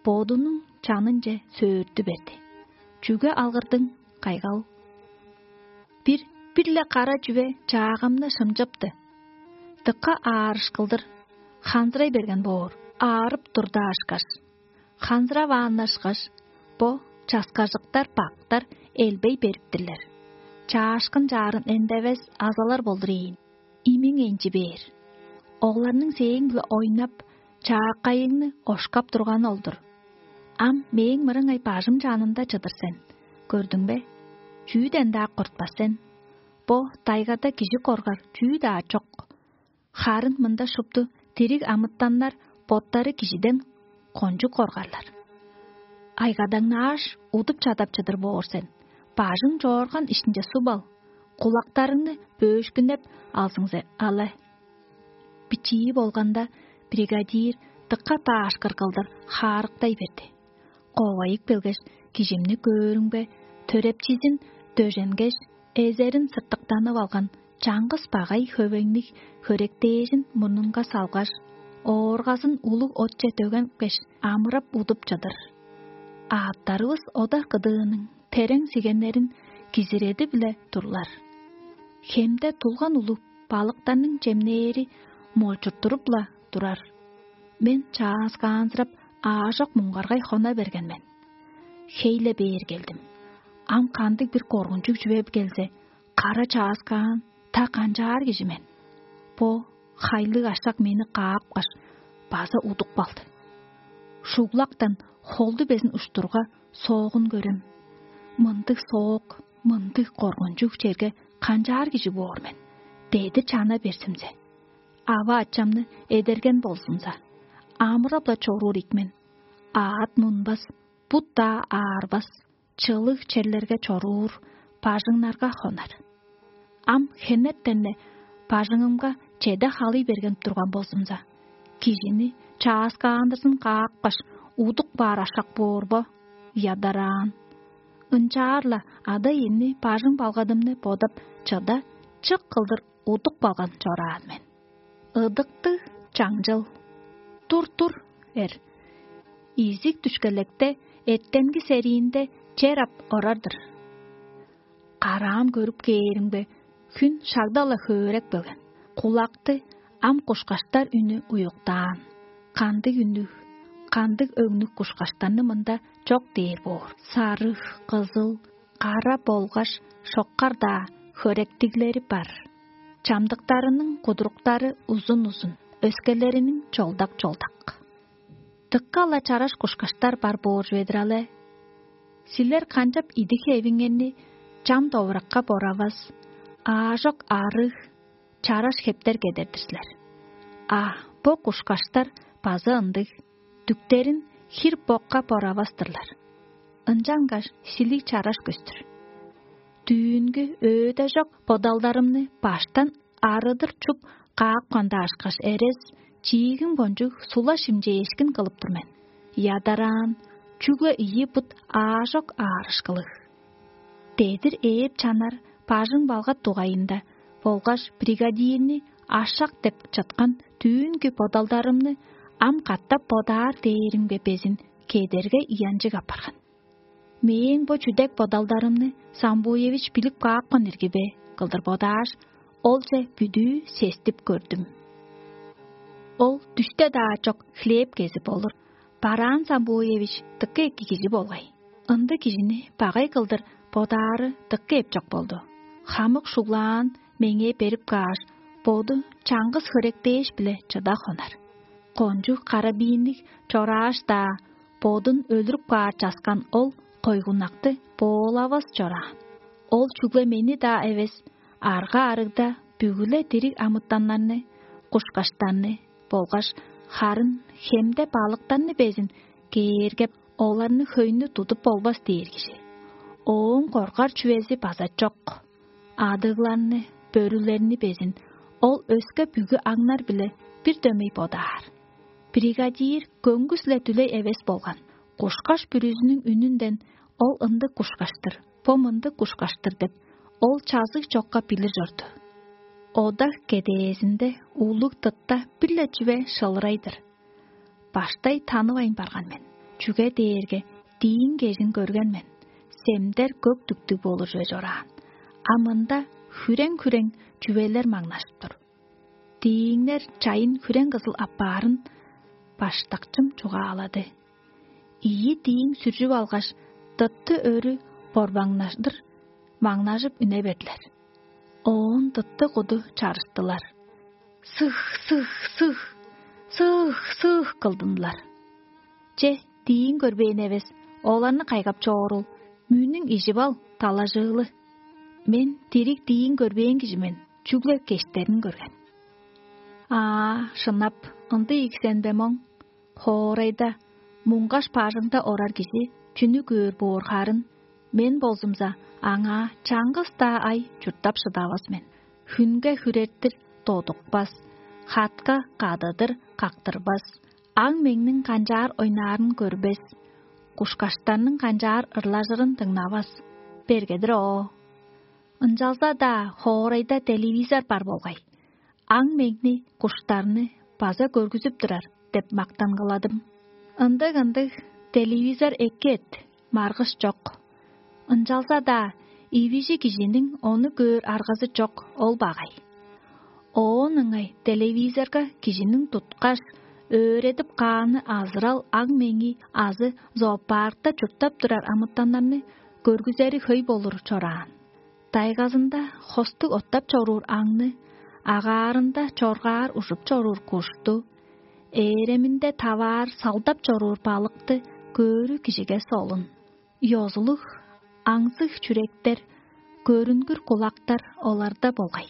бодунуң чанынче сөөртү берди. «Чүге алгырдың, кайгал?» «Бир, бир-ле кара чүве чаагымны шымчыпты. Дыка аарышкылдыр, ханзырай берген боор, аарып турда ашкаш. Ханзыравааннашкаш, бо часкажыктар-бактар элбей бериптирлер. Чаашкын чаарын эндевес азалар болдур ийин. Имиң энчи бээр. Оларның сээң-биле ойнап, чааккайыңны ошкап турганы ол-дур. Ам мээң мырыңай бажым чанында чыдыр сен. Көрдүң бе? Чүүден-даа кортпас сен. Бо дайгада кижи коргар чүү-даа чок. Харын мында шупту дириг амытаннар боттары кижиден кончуг коргарлар. Айгадаңнааш, удуп чадап чыдыр боор сен. Бажың чоорган иштинче суп ал, кулактарыңны бөөшкүнеп алзыңзе але». Бичии болганда, бригадир дыка даашкыр кылдыр хаарыктай берди. Ковайып келгеш, кижимни көөрүмге, төрепчизин дөженгеш, эзерин сыртыктанып алган чаңгыс багай хөвеңниг хөректээжин мурнунга салгаш, ооргазын улуг отче дөгенкеш, амырап удуп чыдыр. Аъттарывыс ода кыдыының терең сигеннерин кизиреди-биле турлар. Хемде тулган улуг балыктарның чемнээри молчурттуруп-ла турар. Мен чааскаанзырап, аажок муңгаргай хона берген мен. Хей-ле бээр келдим. Ам кандыг-бир коргунчуг чүве келзе, кара чааскаан, та канчаар кижи мен. Бо хайлыг ашак мени каапкаш, база удуп калды. Шуглактан холду безин уштурга соогун көрем. Мындыг соок, мындыг коргунчуг черге канчаар кижи боор мен? Дедир чана берзимзе, ава-ачамны эдерген болзумза, амырап-ла чоруур ийик мен. Аът мунбас, бут-даа аарбас, чылыг черлерге чоруур, бажыңнарга хонар. Ам хенертен-не бажыңымга чеде халый берген турган болзумза, кижини чааскаандырзын каапкаш, удук баар ашак боор бо? Ядараан. Ынчаар-ла ада-иемни, бажың-балгадымны бодап, чыда чык кылдыр удук балган чораан мен. Ыдыктыг чаңчыл. Тур-тур эр. Изиг дүшкелекте эртенги сериинде чер ап орар-дыр. Караам көрүп кээримге, хүн шагда-ла хөөреп келген. Кулакты ам кушкаштар үнү уюктаан. Кандыг үннүг, кандыг өңнүг кушкаштарны мында чок дээр боор. Сарыг, кызыл, кара болгаш шоккар-даа хөректиглери бар. Чамдыктарының кудуруктары узун-узун, өскелериниң чолдак-чолдак. Дыка-ла чараш кушкаштар бар боор чүве-дир але. Силер канчап идик-хевиңерни чам довуракка боравас, аажок арыг, чараш хептер кедер-дир силер. А бо кушкаштар база ындыг, дүктерин хир-бокка боравас-тырлар. Ынчангаш силиг чараш көстүр. Дүүнгү өөде чок бодалдарымны баштан арыдыр чуп каапкан-даа ышкаш эрес, чиигим кончуг сула шимчээшкин кылып тур мен. Ядараан, чүгле ийи бут аажок аарышкылыг. Дедир ээп чанар бажың-балгат дугайында болгаш бригадирни ашак деп чыткан дүүнкү бодалдарымны ам катап бодаар дээримге безин кедерге ыянчыг апарган. Мээң бо чүдек бодалдарымны Самбуевич билип каапкан ирги бе кылдыр бодааш, олче бүдүү сестип көрдүм. Ол дүште-даа чок хлеб кезип олур. Бараан Самбуевич дыка эки кижи болгай. Ындыг кижини багай кылдыр бодаары дыка эпчок болду. Хамык шуглаан меңээ берип кааш, боду чаңгыс хөрек дээш-биле чыда хонар. Кончуг карабиинниг чорааш-даа, бодун өлүрүп каар часкан ол койгунакты боолавас чораан. Ол чүгле мени-даа эвес, арга-арыгда бүгү-ле дириг амытаннарны, кушкаштарны болгаш харын хемде балыктарны безин кээргеп, оларны хөйнү тудуп болбас дээр кижи. Ооң коргар чүвези база чок. Адыгларны, бөрүлерни безин ол өске бүгү аңнар-биле бир дөмей бодаар. Бригадир көңгүс-ле дүлей эвес болган. Кушкаш бүрүзүнүң үнүнден: «Ол ындыг кушкаш-тыр, бо мындыг кушкаш-тыр» — деп, ол чазыг чокка билир чорду. Ода кедээзинде улуг дытта бир-ле чүве шылырай-дыр. Баштай танывайн барган мен, чүге дээрге дииң кежин көрген мен, семдер көк дүктүг болур чүве чораан. А мында хүрең-хүрең чүвелер маңнажып тур. Дииңнер чайын хүрең кызыл аппаарын баштакчым чугаалады. Ийи дииң сүржүп алгаш, дытты өрү борбаңнаждыр маңнажып үне бердилер. Оон дытты куду чарыштылар. Сых, сых, сых, сых, сых кылдынылар. Че, дииң көрбээн эвес, оларны кайгап чоорул, мүнүң ижип ал, далажыылы. Мен дириг дииң көрбээн кижи мен, чүгле кештерин көрген. Аа, шынап, ындыг ийик сен бе моң? Хоорайда, муңгаш бажыңда орар кижи чүнү көөр боор харын, мен болзумза аңаа чаңгыс-даа ай чурттап шыдавас мен. Хүнге хүрертир додукпас, хатка кадыдыр кактырбас, аң-меңниң канчаар ойнаарын көрбес, кушкаштарның канчаар ырлажырын дыңнавас. Бергедир оо. Ынчалза-даа хоорайда телевизор бар болгай. Аң-меңни, куштарны база көргүзүп турар деп мактан кыладым. Ындыг-ындыг, телевизор эки эт, маргыш чок. Ынчалза-даа ивижи кижиниң ону көөр аргазы чок, ол багай. Оон ыңай телевизорга кижиниң туткаш, өөредип кааны азырал аң-меңи азы зоопаркта чурттап турар амытаннарны көргүзери хөй болур чораан. Тайгазында хостуг оттап чоруур аңны, агаарында чоргаар ужуп чоруур кушту, ээреминде таваар салдап чоруур балыкты көөрү кижиге солун. Ёзулуг, аңзыг чүректер, көрүнгүр кулактар оларда болгай.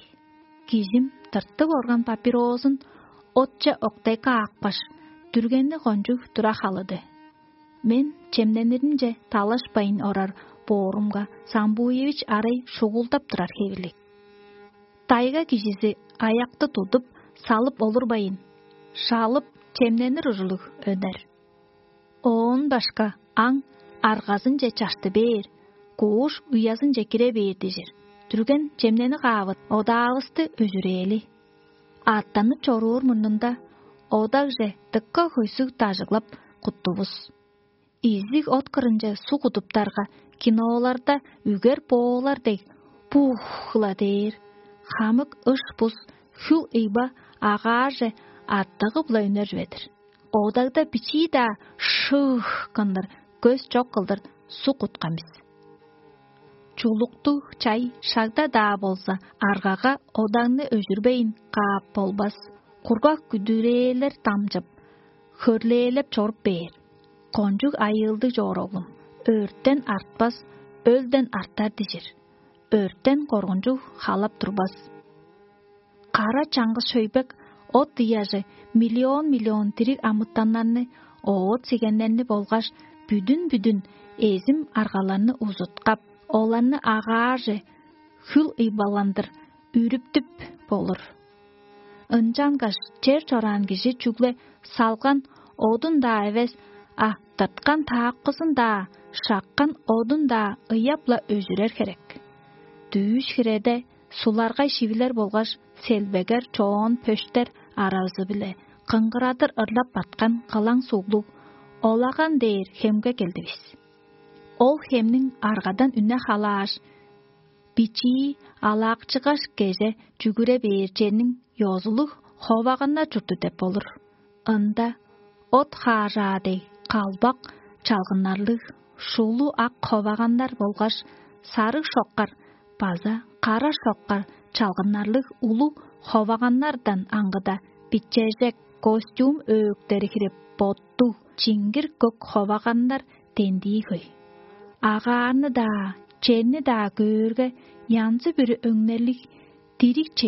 Кижим тыртып орган папирозун отче октайга аапкаш, дүргени кончуг тура халыды. Мен чемнениринче талашпайн орар боорумга, Самбуевич арай шугулдап турар хевирлиг. Тайга кижизи аякты тудуп, салып олурбайн, шалып, чемненир ужурлуг өнер. Оон башка аң аргазынче чашты бээр, кууш уязынче кире бээр дижир. Дүрген чемнени каавыт одаавысты өзүрээли. Аъттанып чоруур мурнунда одагже дыка хөйсүг дажыглап куттувус. Изиг от кырынче суг удуптарга киноларда үгер боолар дег, бух-ла дээр, хамык ыш-бус хүл ыйба агаарже аттыгы-биле үнер чүве-дир. Одагда бичии-даа шыых кылдыр, көс чок кылдыр суг уткан бис. Чулуктуг чай шагда-даа болза, аргага одагны өжүрбейн каап болбас. Кургак күдүрээлер дамчып, хөрлээлеп чоруп бээр. Кончуг айыылдыг чоор, оглум, өрттен артпас, өлден артар дижир. Өрттен коргунчуг халап турбас. Кара чаңгыс шөйбек от ыяжы миллион-миллион дириг амытаннарны, оът-сигеннерни болгаш бүдүн-бүдүн эзим аргаларны узуткап, оларны агаарже хүл ыйбаландыр үрүптүп болур. Ынчангаш чер чораан кижи чүгле салган одун-даа эвес, а тырткан таакпызын-даа, шаккан одун-даа ыяп-ла өжүрер херек. Дүүш хиреде суларгай шивилер болгаш селбегер чоон пөштер аразы-биле кыңгырадыр ырлап баткан кылаң суглуг Олаган дээр хемге келдивис. Ол хемниң аргадан үне халааш, бичии алаакчыгаш кеже чүгүре бээр черниң ёзулуг ховаганнар чурту деп болур. Ында от хаажаа дег калбак чалгыннарлыг Шулу ак ховаганнар болгаш сарыг шоккар база кара шоккар чалгыннарлыг улуг ховаганнардан аңгыда, бичежек костюм өөктери хире боттуг, чиңгир көк ховаганнар дендии хөй. Агаарны-даа, черни-даа көөрге, янзы-бүрү өңнерлиг дириг